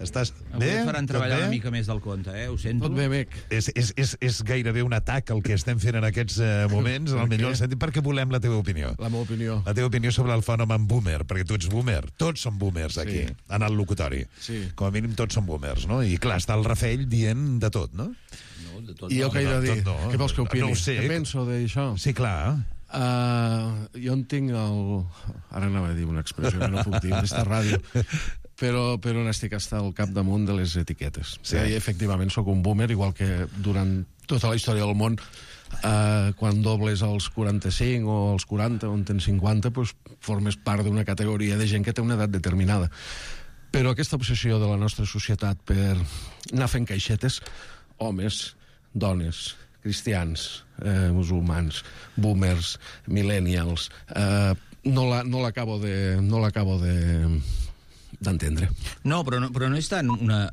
Estàs bé? Avui et faran treballar una mica més del compte, ho sento. Tot bé, Bec. És gairebé un atac el que estem fent en aquests moments, en el millor sentit, perquè volem la teva opinió. La meva opinió. La teva opinió sobre el fenomen boomer, perquè tu ets boomer. Tots som boomers aquí, en el locutori. Sí. Com a mínim tots som boomers, no? I clar, està el Rafell dient de tot, no? No, I jo què he de dir? Què vols que opini? No ho sé. Què penso d'això? Sí, clar. Jo en tinc el... Ara anava a dir una expressió que no puc dir en aquesta ràdio, però on estic hasta al capdamunt de les etiquetes. Sí. I efectivament sóc un boomer, igual que durant tota la història del món, quan dobles als 45 o als 40 o en tens 50, doncs formes part d'una categoria de gent que té una edat determinada. Però aquesta obsessió de la nostra societat per anar fent caixetes, homes, dones, cristians, musulmans, boomers, millennials, no l'acabo d'entendre. No, però no és tant una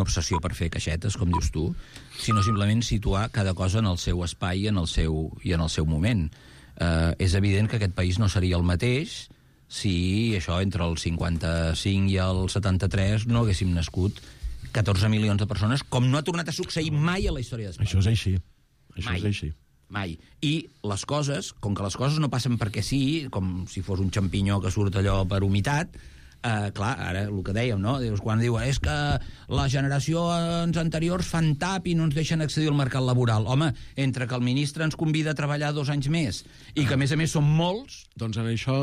obsessió per fer caixetes, com dius tu, sinó simplement situar cada cosa en el seu espai i en el seu moment. És evident que aquest país no seria el mateix si això entre el 55 i el 73 no haguéssim nascut 14 milions de persones, com no ha tornat a succeir mai a la història d'Espanya. Això és així. Això és així. Mai. I les coses, com que les coses no passen perquè sí, com si fos un xampinyó que surt allò per humitat, clar, ara el que dèiem, no? Quan diu és que les generacions anteriors fan tap i no ens deixen accedir al mercat laboral. Home, entre que el ministre ens convida a treballar 2 anys més i que, a més són molts... Doncs en això...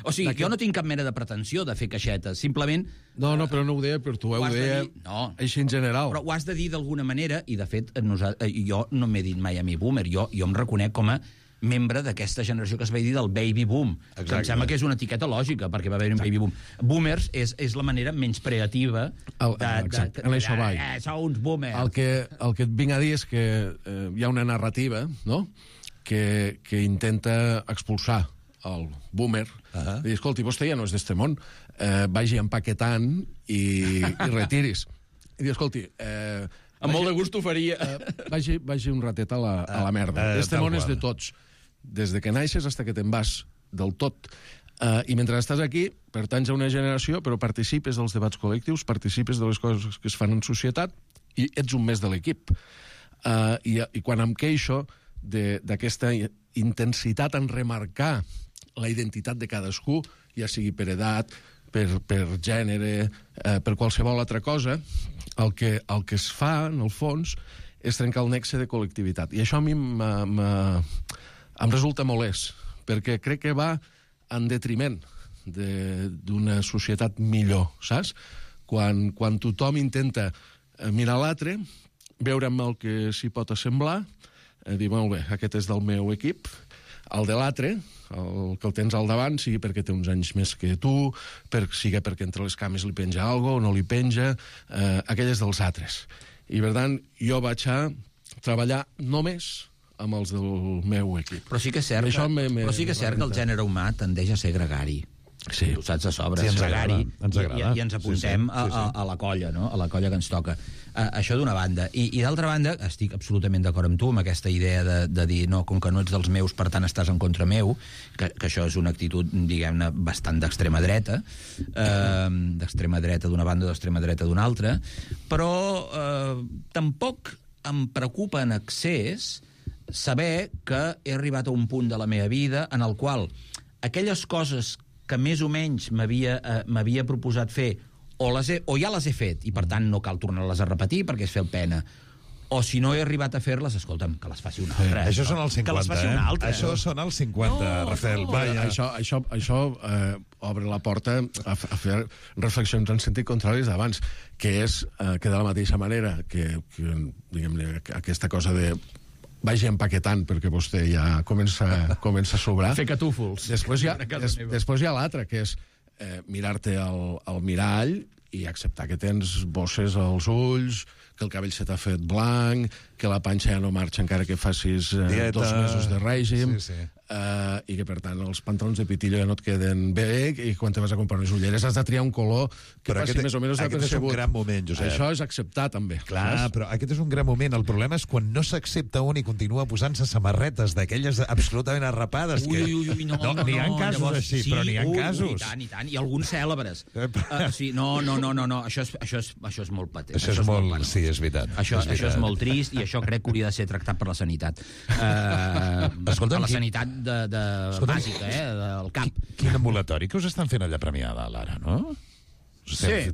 O sigui, jo no tinc cap mena de pretensió de fer caixetes, simplement... No, però no ho deia per tu, ho deia així en general. Però ho has de dir d'alguna manera, i de fet jo no m'he dit mai a mi boomer, jo em reconec com a membre d'aquesta generació que es va dir del baby boom. Que em sembla que és una etiqueta lògica, perquè va haver un baby boom. Boomers és la manera menys creativa en això vaig. Sou uns boomers. El que et vinc a dir és que hi ha una narrativa, no?, que intenta expulsar el boomer, i dir, escolti, vostè ja no és d'este món, vagi empaquetant i retiris. I dir, escolti... Amb molt de gust ho faria. Vagi un ratet a la merda. Este món és de tots. Des de que naixes fins que te'n vas del tot. I mentre estàs aquí, pertanys a una generació, però participes dels debats col·lectius, participes de les coses que es fan en societat i ets un més de l'equip. I quan em queixo d'aquesta intensitat en remarcar la identitat de cadascú, ja sigui per edat, per gènere, per qualsevol altra cosa, el que es fa, en el fons, és trencar el nexe de col·lectivitat. I això a mi em resulta molest, perquè crec que va en detriment d'una societat millor, saps? Quan tothom intenta mirar l'altre, veure amb el que s'hi pot assemblar, dir, molt bé, aquest és del meu equip, el de l'altre, el que el tens al davant, sigui perquè té uns anys més que tu, sigui perquè entre les cames li penja alguna cosa o no li penja, aquell és dels altres. I, per tant, jo vaig a treballar només amb els del meu equip. Però sí que és cert, que el gènere humà tendeix a ser gregari. Sí. Ho saps de sobre. Sí, ens agrada. I ens apuntem a la colla, no? A la colla que ens toca. Això d'una banda. I d'altra banda, estic absolutament d'acord amb tu, amb aquesta idea de dir, no, com que no ets dels meus, per tant estàs en contra meu, que això és una actitud, diguem-ne, bastant d'extrema dreta, d'una banda, d'extrema dreta d'una altra, però tampoc em preocupa en excés saber que he arribat a un punt de la meva vida en el qual aquelles coses que més o menys m'havia proposat fer o ja les he fet i per tant no cal tornar-les a repetir perquè és fer pena, o si no he arribat a fer-les, escolta'm, que les faci una altra. Això són els 50, que les faci una altra. Això són els 50, Rafael. Això obre la porta a fer reflexions en sentit contraris d'abans, que és que de la mateixa manera que diguem-ne, aquesta cosa de vagi empaquetant perquè vostè ja comença a sobrar. Fer catúfols. Després hi ha l'altre, que és mirar-te al mirall i acceptar que tens bosses als ulls, que el cabell se t'ha fet blanc, que la panxa ja no marxa encara que facis 2 mesos de règim, i que, per tant, els pantalons de pitillo ja no et queden bé, i quan te vas a comprar unes ulleres has de triar un color que faci més o menys aquest és un gran moment, Josep. Això és acceptar, també. Clar, però aquest és un gran moment. El problema és quan no s'accepta un i continua posant-se samarretes d'aquelles absolutament arrapades. No, n'hi ha casos així, però n'hi ha casos. I tant, i alguns cèlebres. No, això és molt patent. Això és molt... Sí, és veritat. Això és molt trist i això crec que hauria de ser tractat per la sanitat. Per la sanitat bàsica, del cap. Quin ambulatori que us estan fent allà Premià de Dalt, ara, no?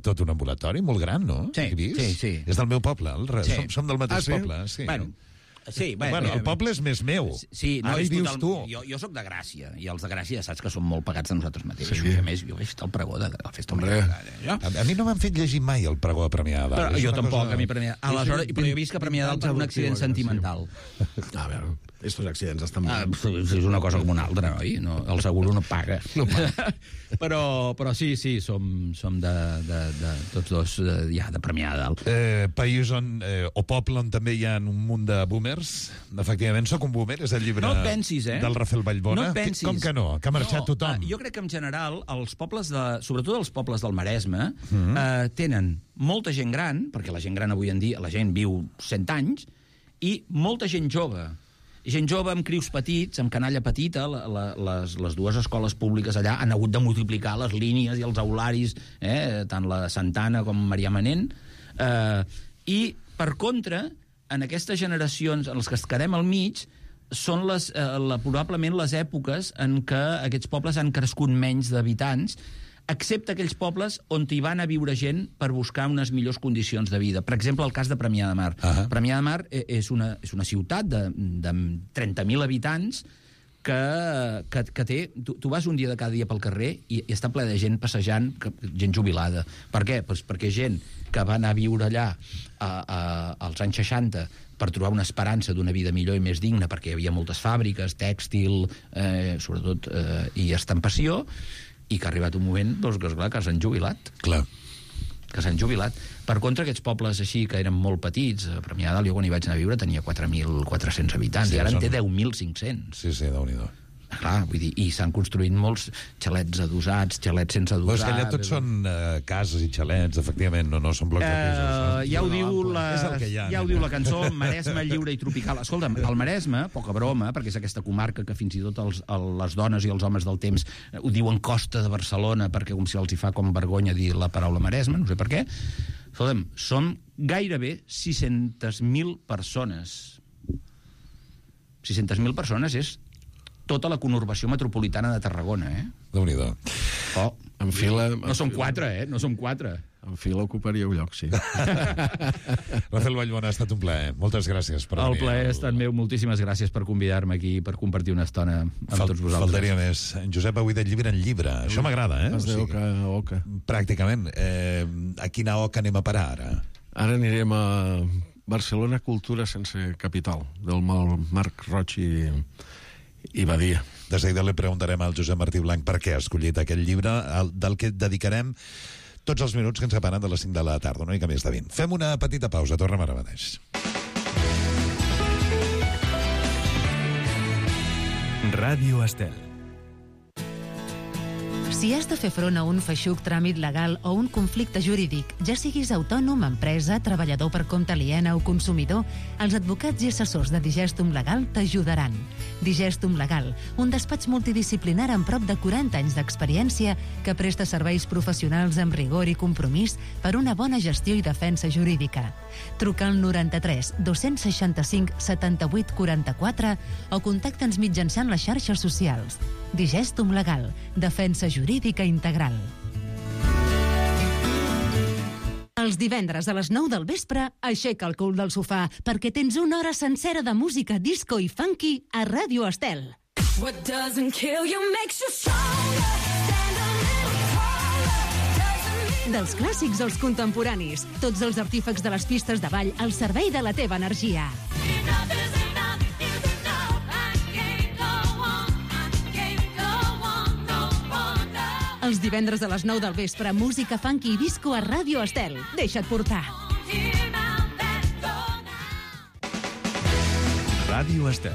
Tot un ambulatori molt gran, no? Sí. És del meu poble, som del mateix poble. Bueno, sí, el poble és més meu. Sí, no, ara hi vius tu. Jo soc de Gràcia, i els de Gràcia saps que són molt pagats de nosaltres mateixos. I a més, jo vaig estar al pregó de la festa Major. A mi no m'han fet llegir mai el pregó de Premià de Dalt. Jo tampoc, a mi Premià de Dalt. Aleshores, però jo he vist que Premià de Dalt per un accident sentimental. A veure, estos accidents estan bé. És una cosa com una altra, oi? El seguro no paga. Però sí, som de tots dos ja de Premià de Dalt. País o poble on també hi ha un munt de boomers. Efectivament, soc un boomer, és el llibre del Rafael Vallbona. No et pensis. Com que no? Que ha marxat tothom. Jo crec que en general els pobles, sobretot els pobles del Maresme, tenen molta gent gran, perquè la gent gran avui en dia, la gent viu 100 anys, i molta gent jove. Gent jove amb crius petits, amb canalla petita, les dues escoles públiques allà han hagut de multiplicar les línies i els aularis, tant la Santana com Marià Manent, i, per contra, en aquestes generacions en les que es quedem al mig són probablement les èpoques en què aquests pobles han crescut menys d'habitants, excepte aquells pobles on hi van a viure gent per buscar unes millors condicions de vida. Per exemple, el cas de Premià de Mar. Premià de Mar és una ciutat de 30.000 habitants que té... Tu vas un dia de cada dia pel carrer i està ple de gent passejant, gent jubilada. Per què? Pues perquè gent que va anar a viure allà als anys 60 per trobar una esperança d'una vida millor i més digna, perquè hi havia moltes fàbriques, tèxtil, sobretot, i estampació, i que ha arribat un moment que s'han jubilat. Clar. Que s'han jubilat. Per contra, aquests pobles així, que eren molt petits, a Premià de Dalt, jo quan hi vaig anar a viure tenia 4.400 habitants, i ara en té 10.500. Sí, Déu-n'hi-do. Clar, vull dir, i s'han construït molts xalets adossats, xalets sense adossar... Però és que allà tots són cases i xalets, efectivament, no són blocs de pisos. Ja ho diu la cançó Maresme lliure i tropical. Escolta'm, el Maresme, poca broma, perquè és aquesta comarca que fins i tot les dones i els homes del temps ho diuen Costa de Barcelona, perquè com si els hi fa com vergonya dir la paraula Maresme, no sé per què. Escolta'm, som gairebé 600.000 persones. 600.000 persones és tota la conurbació metropolitana de Tarragona, Déu-n'hi-do. En fila... No som 4, no som 4. En fila ocuparíeu lloc, sí. Rafael Vallbona, ha estat un plaer. Moltes gràcies per venir. El plaer ha estat meu. Moltíssimes gràcies per convidar-me aquí, per compartir una estona amb tots vosaltres. Faltaria més. En Josep avui de llibre en llibre. Això m'agrada, Has de oca a oca. Pràcticament. A quina oca anem a parar, ara? Ara anirem a Barcelona Cultura sense capital, del Marc Roig i Badia. De seguida li preguntarem al Josep Martí Blanc per què ha escollit aquest llibre, del que dedicarem tots els minuts que ens separen de les 5 de la tarda, una mica més de 20. Fem una petita pausa, tornem ara mateix. Ràdio Estel. Si has de fer front a un feixuc tràmit legal o un conflicte jurídic, ja siguis autònom, empresa, treballador per compte aliena o consumidor, els advocats i assessors de Digestum Legal t'ajudaran. Digestum Legal, un despatx multidisciplinar amb prop de 40 anys d'experiència que presta serveis professionals amb rigor i compromís per una bona gestió i defensa jurídica. Truca al 93 265 78 44 o contacta'ns mitjançant les xarxes socials. Digestum Legal, defensa jurídica integral. Els divendres a les 9 del vespre, aixeca el cul del sofà perquè tens una hora sencera de música disco i funky a Ràdio Estel. What doesn't kill you makes you stronger. Dels clàssics als contemporanis, tots els artífecs de les pistes de ball al servei de la teva energia. Els divendres a les 9 del vespre, música funky i disco a Ràdio Estel. Deixa't portar. Ràdio Estel.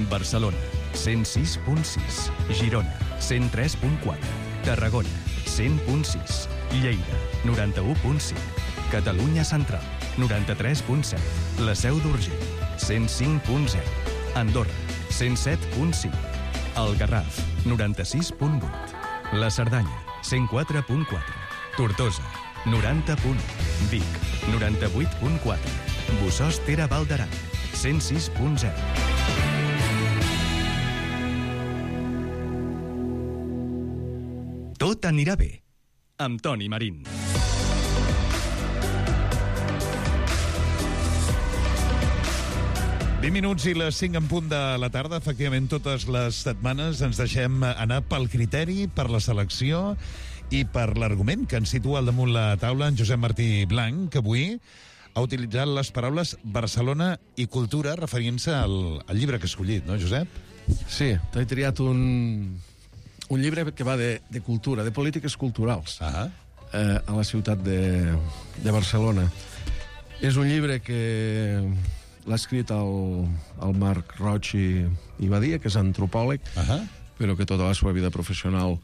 Barcelona, 106.6. Girona, 103.4. Tarragona, 100.6. Lleida, 91.5. Catalunya Central, 93.7. La Seu d'Urgell, 105.0. Andorra, 107.5. El Garraf, 96.8. La Cerdanya, 104.4. Tortosa, 90.1. Vic, 98.4. Bossòst Tere Val d'Aran, 106.0. Tot anirà bé, amb Toni Marín. 20 minuts i les 5 en punt de la tarda. Efectivament, totes les setmanes ens deixem anar pel criteri, per la selecció i per l'argument que ens situa al damunt la taula en Josep Martí Blanc, que avui ha utilitzat les paraules Barcelona i cultura referint-se al llibre que ha escollit, no, Josep? Sí, t'he triat un llibre que va de cultura, de polítiques culturals, a la ciutat de Barcelona. És un llibre que l'ha escrit el Marc Roig i Badia, que és antropòleg, però que tota la seva vida professional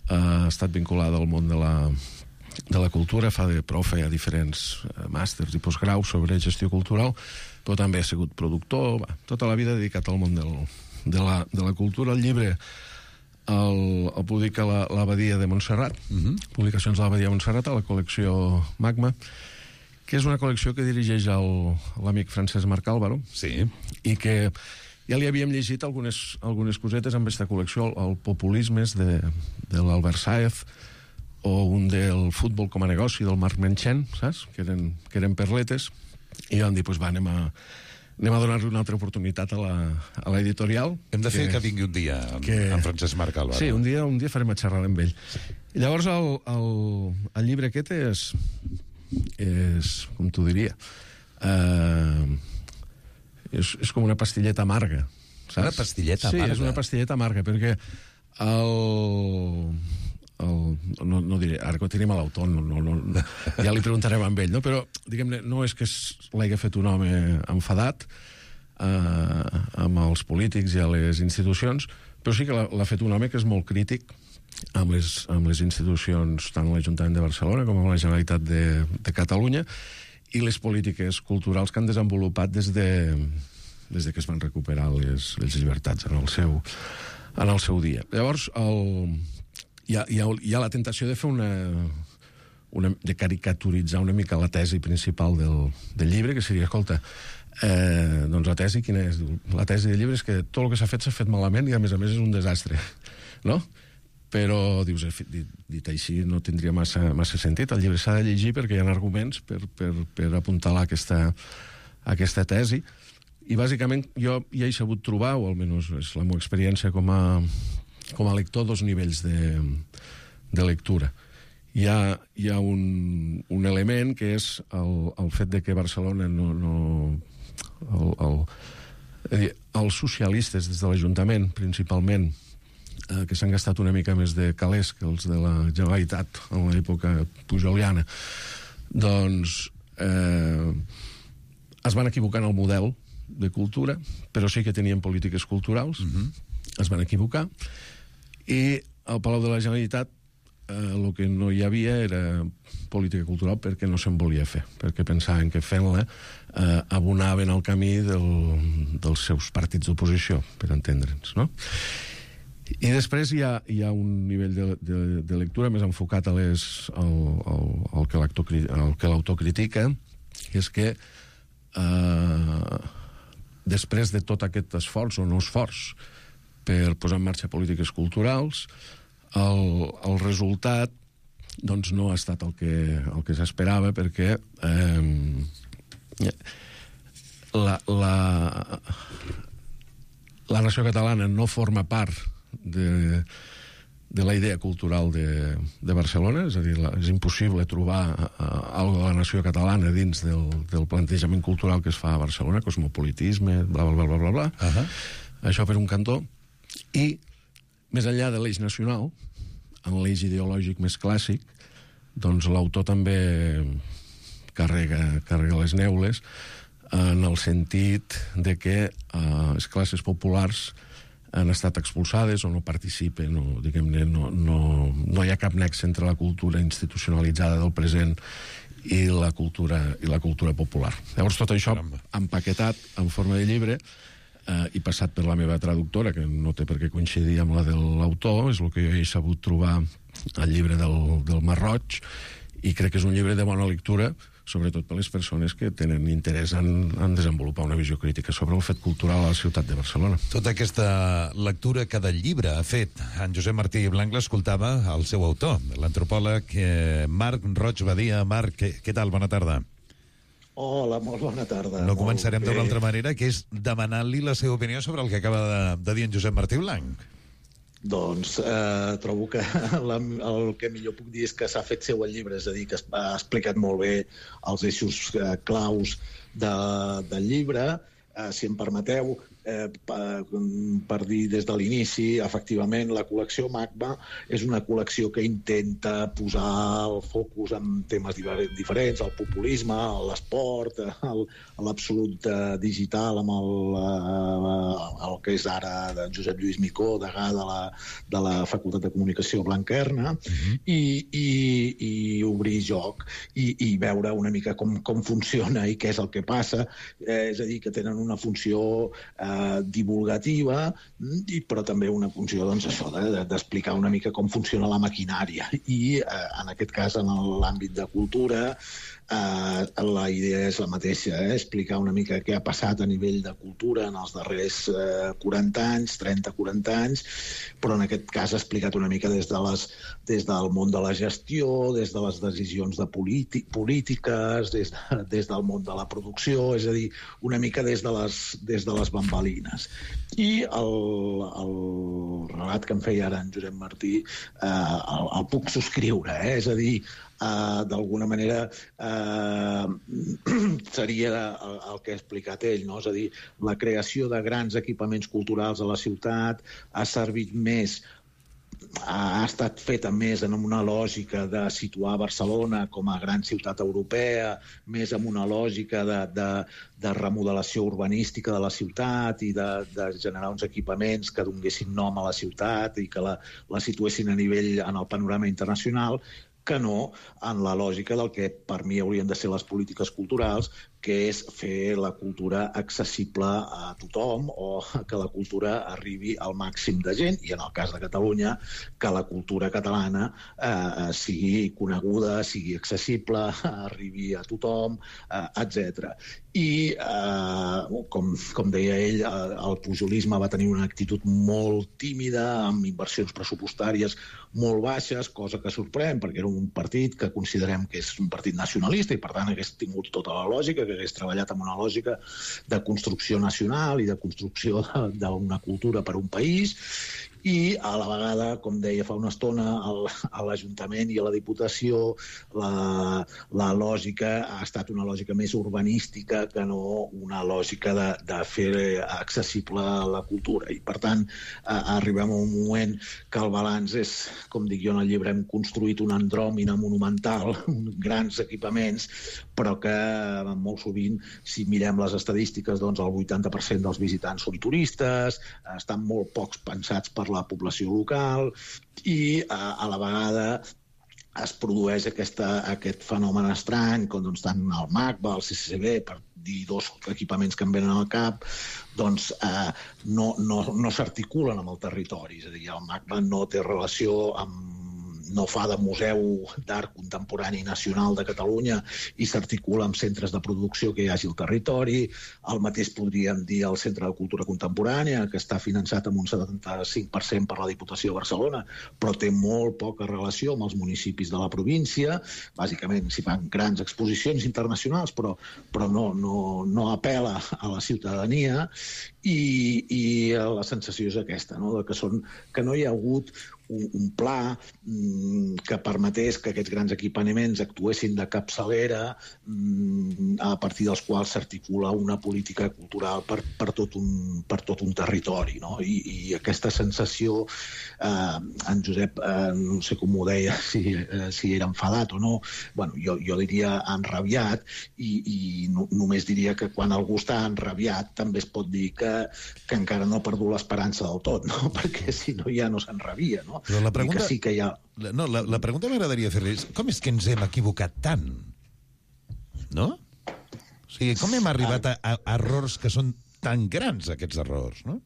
ha estat vinculada al món de la cultura, fa de profe a diferents màsters i postgraus sobre gestió cultural, però també ha sigut productor, tota la vida dedicat al món de la cultura. El llibre el publica l'Abadia de Montserrat, Publicacions de l'Abadia de Montserrat, a la col·lecció Magma, que és una col·lecció que dirigeix l'amic Francesc Marc Álvaro, i que ja li havíem llegit algunes cosetes amb aquesta col·lecció, el Populismes de l'Albert Sáez, o un del Futbol com a negoci del Marc Menchen, saps? Que eren perletes, i vam dir, anem a donar-li una altra oportunitat a l'editorial. Hem de fer que vingui un dia amb Francesc Marc Álvaro. Sí, un dia farem a xerrar amb ell. I llavors el llibre aquest és com t'ho diria, és com una pastilleta amarga, saps? Una pastilleta amarga? Sí, és una pastilleta amarga, perquè no diré, ara que tenim a l'autor, ja li preguntarem amb ell, no? Però, diguem-ne, no és que l'hagi fet un home enfadat amb els polítics i a les institucions, però sí que l'ha fet un home que és molt crític amb les institucions, tant l'Ajuntament de Barcelona com amb la Generalitat de Catalunya, i les polítiques culturals que han desenvolupat des que es van recuperar les llibertats en el seu dia. Llavors, hi ha la tentació de fer de caricaturitzar una mica la tesi principal del llibre, que seria, escolta, doncs la tesi quina és? La tesi del llibre és que tot el que s'ha fet malament i a més és un desastre, no? Però, dius, dit així no tindria massa sentit. El llibre s'ha de llegir perquè hi ha arguments per apuntalar aquesta tesi, i bàsicament jo ja he sabut trobar, o almenys és la meva experiència com a lector, dos nivells de lectura. Hi ha un element que és el fet de que Barcelona els socialistes des de l'Ajuntament, principalment, que s'han gastat una mica més de calés que els de la Generalitat en l'època pujoliana, doncs es van equivocar en el model de cultura, però sí que tenien polítiques culturals, es van equivocar, i al Palau de la Generalitat el que no hi havia era política cultural perquè no se'n volia fer, perquè pensaven que fent-la abonaven el camí dels seus partits d'oposició, per entendre'ns, no? I després hi ha un nivell de lectura més enfocat al que l'autor critica, que és que després de tot aquest esforç, o no esforç, per posar en marxa polítiques culturals, el resultat doncs no ha estat el que s'esperava, perquè la nació catalana no forma part de la idea cultural de Barcelona, és a dir, és impossible trobar alguna de la nació catalana dins del plantejament cultural que es fa a Barcelona, cosmopolitisme, bla, bla, bla, bla, bla. Això per un cantó. I, més enllà de l'eix nacional, en l'eix ideològic més clàssic, doncs l'autor també carrega les neules en el sentit de que les classes populars han estat expulsades o no participen, o diguem-ne no hi ha cap nexe entre la cultura institucionalitzada del present i la cultura popular. Llavors tot això empaquetat en forma de llibre i passat per la meva traductora, que no té per què coincidir amb la de l'autor, és el que jo he sabut trobar al llibre del Marc Roig, i crec que és un llibre de bona lectura, sobretot per les persones que tenen interès en desenvolupar una visió crítica sobre el fet cultural a la ciutat de Barcelona. Tota aquesta lectura que del llibre ha fet en Josep Martí Blanc l'escoltava el seu autor, l'antropòleg Marc Roig Badia. Marc, què tal? Bona tarda. Hola, molt bona tarda. No començarem d'una altra manera, que és demanant-li la seva opinió sobre el que acaba de dir en Josep Martí Blanc. Doncs trobo que el que millor puc dir és que s'ha fet seu el llibre, és a dir, que ha explicat molt bé els eixos claus del llibre. Si em permeteu, per dir des de l'inici, efectivament, la col·lecció MACBA és una col·lecció que intenta posar el focus en temes diferents, el populisme, l'esport, l'absolut digital amb el que és ara de Josep Lluís Micó, degà de la Facultat de Comunicació Blanquerna, i obrir joc i veure una mica com funciona i què és el que passa. És a dir, que tenen una funció divulgativa, però també una funció d'explicar una mica com funciona la maquinària. I en aquest cas, en l'àmbit de cultura, la idea és la mateixa, explicar una mica què ha passat a nivell de cultura en els darrers 40 anys, 30-40 anys, però en aquest cas ha explicat una mica des del món de la gestió, des de les decisions de polítiques, des del món de la producció, és a dir, una mica des de les bambalines. I el relat que em feia ara en Josep Martí el puc subscriure, és a dir, d'alguna manera seria el que ha explicat ell, no? És a dir, la creació de grans equipaments culturals a la ciutat ha servit més, ha estat feta més en una lògica de situar Barcelona com a gran ciutat europea, més en una lògica de remodelació urbanística de la ciutat i de generar uns equipaments que donguessin nom a la ciutat i que la situessin a nivell en el panorama internacional, que no en la lògica del que per mi haurien de ser les polítiques culturals, que és fer la cultura accessible a tothom o que la cultura arribi al màxim de gent, i en el cas de Catalunya, que la cultura catalana sigui coneguda, sigui accessible, arribi a tothom, etc. I, com deia ell, el pujolisme va tenir una actitud molt tímida, amb inversions pressupostàries molt baixes, cosa que sorprèn, perquè era un partit que considerem que és un partit nacionalista i, per tant, hagués tingut tota la lògica, que hagués treballat amb una lògica de construcció nacional i de construcció d'una cultura per un país, i a la vegada, com deia fa una estona, a l'Ajuntament i a la Diputació la lògica ha estat una lògica més urbanística que no una lògica de fer accessible la cultura. I, per tant, arribem a un moment que el balanç és, com dic jo en el llibre, hem construït una andròmina monumental, grans equipaments, però que molt sovint, si mirem les estadístiques, doncs el 80% dels visitants són turistes, estan molt pocs pensats per la població local i a la vegada es produeix aquest fenomen estrany, com tant el MACBA, el CCCB, per dir dos equipaments que em venen al cap, doncs no s'articulen amb el territori. És a dir, el MACBA no té relació no fa de Museu d'Art Contemporani Nacional de Catalunya i s'articula amb centres de producció que hi hagi al territori. El mateix podríem dir al Centre de Cultura Contemporània, que està finançat amb un 75% per la Diputació de Barcelona, però té molt poca relació amb els municipis de la província. Bàsicament s'hi fan grans exposicions internacionals, però no apela a la ciutadania, i la sensació és aquesta, que no hi ha hagut un pla que permetés que aquests grans equipaments actuessin de capçalera a partir dels quals s'articula una política cultural per tot un territori. I aquesta sensació, en Josep, no sé com ho deia, si era enfadat o no, jo diria enrabiat, i només diria que quan algú està enrabiat també es pot dir que encara no ha perdut l'esperança del tot, perquè si no ja no s'enrabia, no? Però la pregunta... sí que hi ha... No, la pregunta m'agradaria fer-li és com és que ens hem equivocat tant? No? O sigui, com hem arribat a errors que són tan grans, aquests errors, no?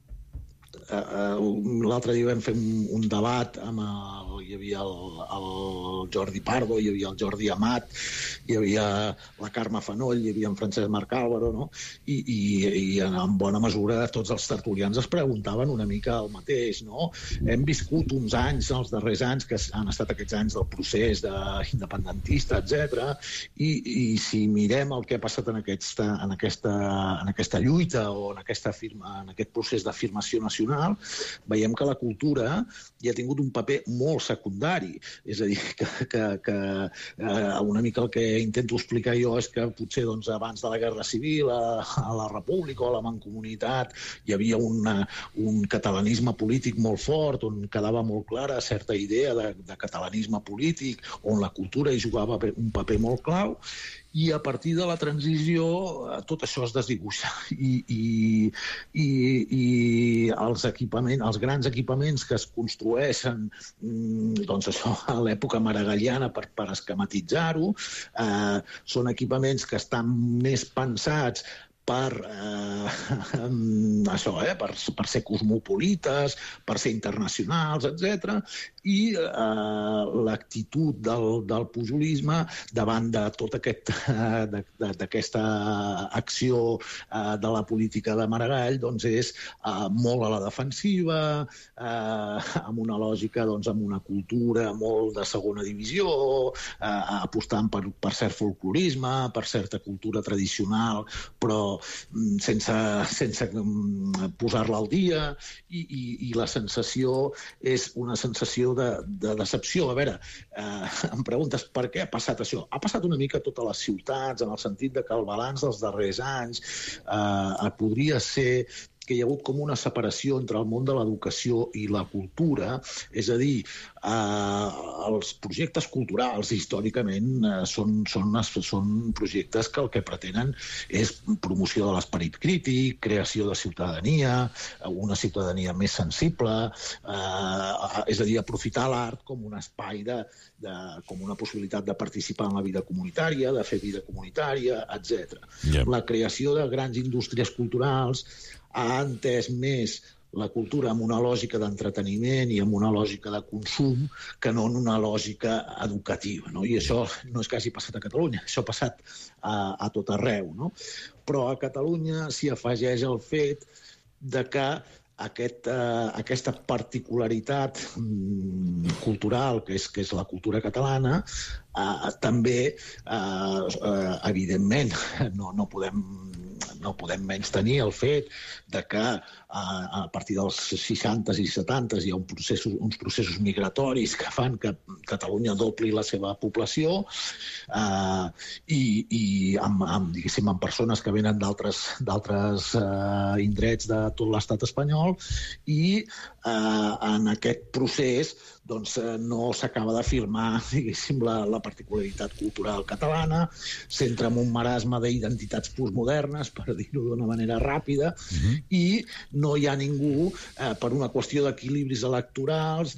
l'altre dia vam fer un debat amb hi havia el Jordi Pardo, hi havia el Jordi Amat, hi havia la Carme Fanoll, hi havia en Francesc Marc Álvaro, no? I en bona mesura tots els tertulians es preguntaven una mica el mateix, no? Hem viscut uns anys, els darrers anys, que han estat aquests anys del procés independentista, etc. I si mirem el que ha passat en aquesta lluita o en aquest procés d'afirmació nacional, veiem que la cultura hi ha tingut un paper molt secundari. És a dir, que una mica el que intento explicar jo és que potser abans de la Guerra Civil, a la República o a la Mancomunitat, hi havia un catalanisme polític molt fort, on quedava molt clara certa idea de catalanisme polític, on la cultura hi jugava un paper molt clau, i a partir de la transició tot això es desdibuixa i els grans equipaments que es construeixen a l'època maragalliana per esquematitzar-ho són equipaments que estan més pensats per ser cosmopolites, per ser internacionals, etc. I l'actitud del pujolisme davant de tota aquesta acció de la política de Maragall és molt a la defensiva, amb una lògica, amb una cultura molt de segona divisió, apostant per cert folclorisme, per certa cultura tradicional, però sense posar-la al dia, i la sensació és una sensació de decepció. A veure, em preguntes per què ha passat això? Ha passat una mica a totes les ciutats, en el sentit que el balanç dels darrers anys podria ser que hi ha hagut com una separació entre el món de l'educació i la cultura, és a dir, els projectes culturals històricament són projectes que el que pretenen és promoció de l'esperit crític, creació de ciutadania, una ciutadania més sensible, és a dir, aprofitar l'art com un espai, com una possibilitat de participar en la vida comunitària, de fer vida comunitària, etc. La creació de grans indústries culturals ha entès més la cultura amb una lògica d'entreteniment i amb una lògica de consum que no en una lògica educativa, no? I això no és que hagi passat a Catalunya, això ha passat a tot arreu, no? Però a Catalunya s'hi afegeix el fet de que aquesta particularitat cultural que és la cultura catalana també, evidentment, no podem menystenir el fet de que a partir dels 60s i 70s hi ha uns processos migratoris que fan que Catalunya dobli la seva població i amb persones que venen d'altres indrets de tot l'estat espanyol, i en aquest procés no s'acaba d'afirmar, diguéssim, la particularitat cultural catalana, s'entra en un marasme d'identitats postmodernes, per dir-ho d'una manera ràpida, i no hi ha ningú, per una qüestió d'equilibris electorals,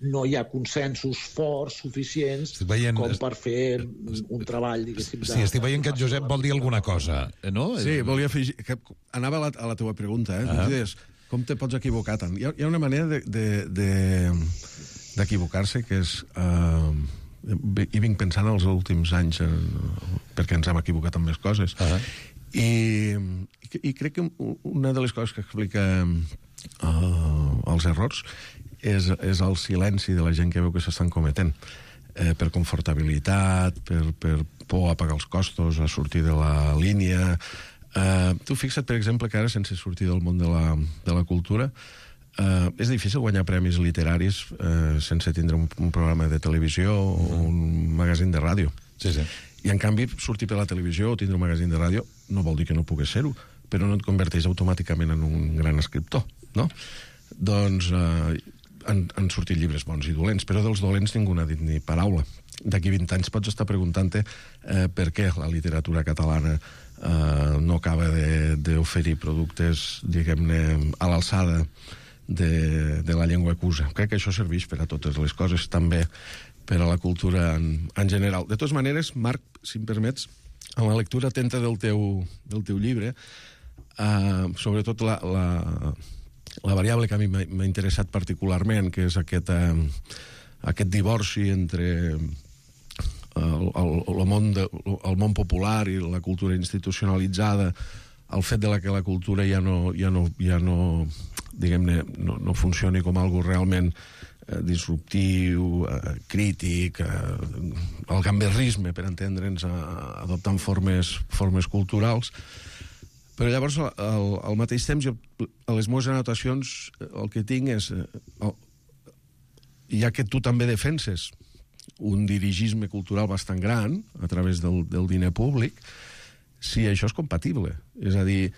no hi ha consensos forts, suficients, com per fer un treball, diguéssim... Sí, estic veient que en Josep vol dir alguna cosa, no? Sí, volia afegir... Anava a la teva pregunta, dius, com te pots equivocar tant? Hi ha una manera d'equivocar-se que és... I vinc pensant els últims anys perquè ens hem equivocat amb més coses. I crec que una de les coses que explica els errors és el silenci de la gent que veu que s'estan cometent. Per confortabilitat, per por a pagar els costos, a sortir de la línia... Tu fixa't, per exemple, que ara, sense sortir del món de la cultura, és difícil guanyar premis literaris sense tindre un programa de televisió o un magazín de ràdio. Sí. I, en canvi, sortir per la televisió o tindre un magazín de ràdio no vol dir que no puguis ser-ho, però no et converteix automàticament en un gran escriptor, no? Doncs han sortit llibres bons i dolents, però dels dolents ningú n'ha dit ni paraula. D'aquí 20 anys pots estar preguntant-te per què la literatura catalana no acaba d'oferir productes, diguem-ne, a l'alçada de la llengua cusa. Crec que això serveix per a totes les coses, també per a la cultura en general. De totes maneres, Marc, si em permets, en la lectura atenta del teu llibre, sobretot la variable que a mi m'ha interessat particularment, que és aquest divorci entre el món popular i la cultura institucionalitzada, el fet de que la cultura ja no diguem-ne, no funcioni com algo realment disruptiu, crític, el gamberrisme, per entendre'ns, adoptant formes culturals. Però llavors, al mateix temps, jo, a les meves anotacions, el que tinc és, ja que tu també defenses un dirigisme cultural bastant gran a través del diner públic, si això és compatible. És a dir,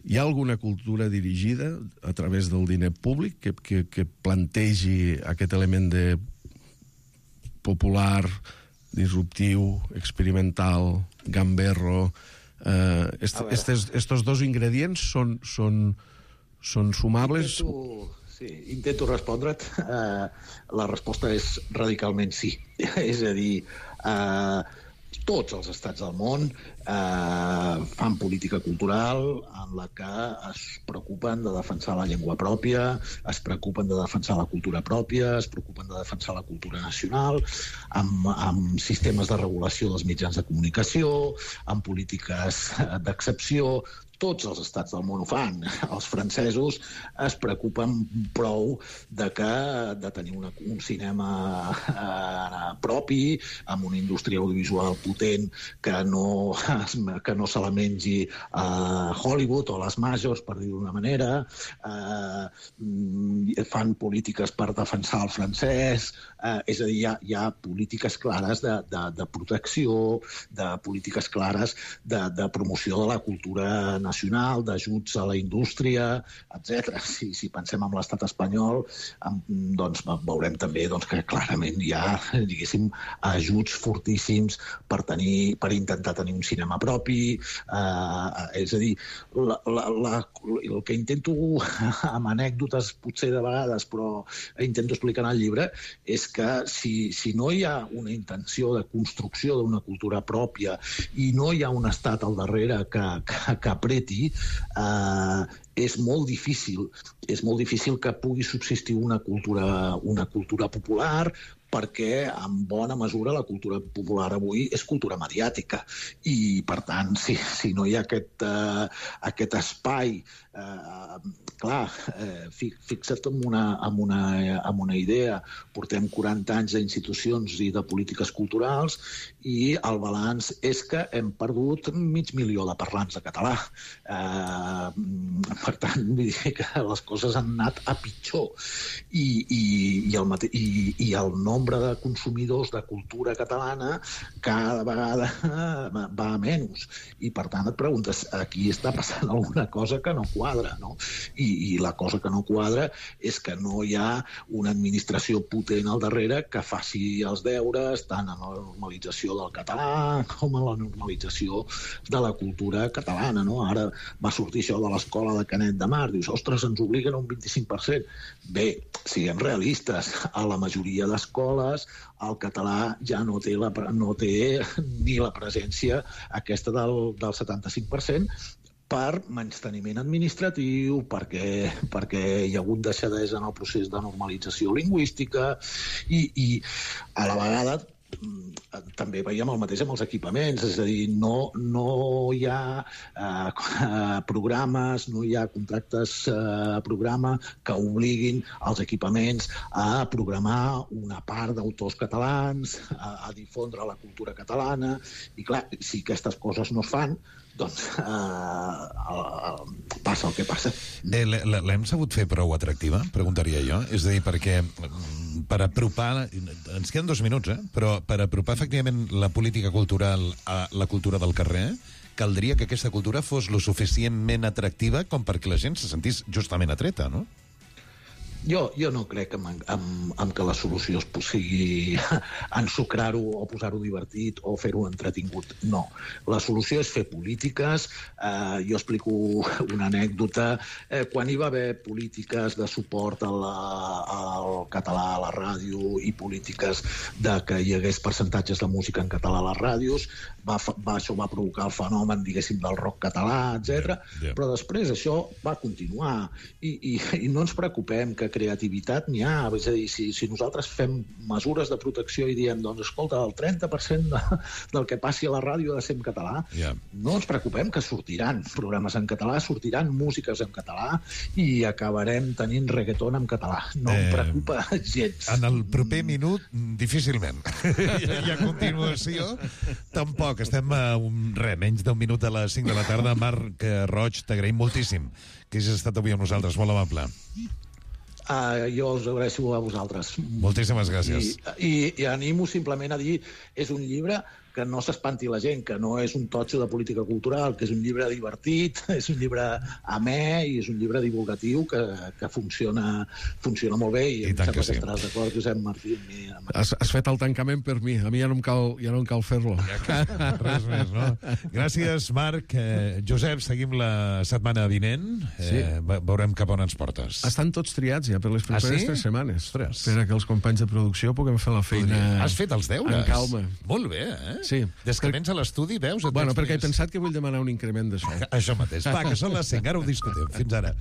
hi ha alguna cultura dirigida a través del diner públic que plantegi aquest element de popular, disruptiu, experimental, gamberro. Estos dos ingredients són sumables? Intento respondre't. La resposta és radicalment sí. És a dir, tots els estats del món fan política cultural en la que es preocupen de defensar la llengua pròpia, es preocupen de defensar la cultura pròpia, es preocupen de defensar la cultura nacional, amb sistemes de regulació dels mitjans de comunicació, amb polítiques d'excepció. Tots els estats del món ho fan. Els francesos es preocupen prou de tenir un cinema propi, amb una indústria audiovisual potent que no se la mengi a Hollywood o les majors, per dir d'una manera. Fan polítiques per defensar el francès. És a dir, hi ha polítiques clares de protecció, de polítiques clares de promoció de la cultura nacional, d'ajuts a la indústria, etc. Si pensem en l'estat espanyol, doncs veurem també que clarament hi ha, diguéssim, ajuts fortíssims per intentar tenir un cinema propi. És a dir, el que intento, amb anècdotes potser de vegades, però intento explicar en el llibre, és que si no hi ha una intenció de construcció d'una cultura pròpia i no hi ha un estat al darrere que apreti, és molt difícil que pugui subsistir una cultura popular, perquè en bona mesura la cultura popular avui és cultura mediàtica i per tant si no hi ha aquest espai, clar, fixa't en una idea, portem 40 anys d'institucions i de polítiques culturals i el balanç és que hem perdut 500.000 de parlants de català. Per tant, vull dir que les coses han anat a pitjor i el nombre de consumidors de cultura catalana cada vegada va a menys i per tant et preguntes, aquí està passant alguna cosa que no quadra, no? I la cosa que no quadra és que no hi ha una administració potent al darrere que faci els deures tant en la normalització del català com en la normalització de la cultura catalana, no? Ara va sortir això de l'escola de Canet de Mar, dius, ostres, ens obliguen a un 25%. Bé, siguem realistes, a la majoria d'escoles el català ja no té ni la presència aquesta del 75%, per menysteniment administratiu, perquè hi ha hagut deixadesa en el procés de normalització lingüística i a la vegada també veiem el mateix amb els equipaments, és a dir, no hi ha programes, no hi ha contractes programa que obliguin els equipaments a programar una part d'autors catalans, a difondre la cultura catalana, i clar, si aquestes coses no es fan, doncs passa el que passa. L'hem sabut fer prou atractiva, preguntaria jo? És a dir, perquè per apropar... Ens queden 2 minuts, però per apropar efectivament la política cultural a la cultura del carrer, caldria que aquesta cultura fos lo suficientment atractiva com perquè la gent se sentís justament atreta, no? Jo no crec en que la solució sigui ensucrar-ho o posar-ho divertit o fer-ho entretingut. No. La solució és fer polítiques. Jo explico una anècdota. Quan hi va haver polítiques de suport al català a la ràdio i polítiques de que hi hagués percentatges de música en català a les ràdios, això va provocar el fenomen, diguéssim, del rock català, etc. Però després això va continuar. I no ens preocupem que creativitat n'hi ha. És a dir, si nosaltres fem mesures de protecció i diem, doncs, escolta, el 30% del que passi a la ràdio ha de ser en català, no ens preocupem que sortiran programes en català, sortiran músiques en català i acabarem tenint reggaeton en català. No em preocupa gens. En el proper minut, difícilment. I a continuació, tampoc. Estem a menys d'un minut a les 5 de la tarda. Marc Roig, t'agraïm moltíssim que hagis estat avui amb nosaltres. Molt amable. Jo us agraeixo a vosaltres. Moltíssimes gràcies. I animo simplement a dir, és un llibre que no s'espanti la gent, que no és un totxo de política cultural, que és un llibre divertit, és un llibre amè i és un llibre divulgatiu que funciona molt bé i em sembla que estaràs d'acord, Josep Martí. Has fet el tancament per mi, a mi ja no em cal fer-lo. Res més, no? Gràcies, Marc. Josep, seguim la setmana vinent. Veurem cap on ens portes. Estan tots triats ja per les properes 3 setmanes. Per a que els companys de producció puguem fer la feina. Has fet els deures? En calma. Molt bé, eh? Sí. Des que vens a l'estudi, veus? Bueno, perquè he pensat que vull demanar un increment d'això. Això mateix. Va, que són les 5, ara ho discutim. Fins ara.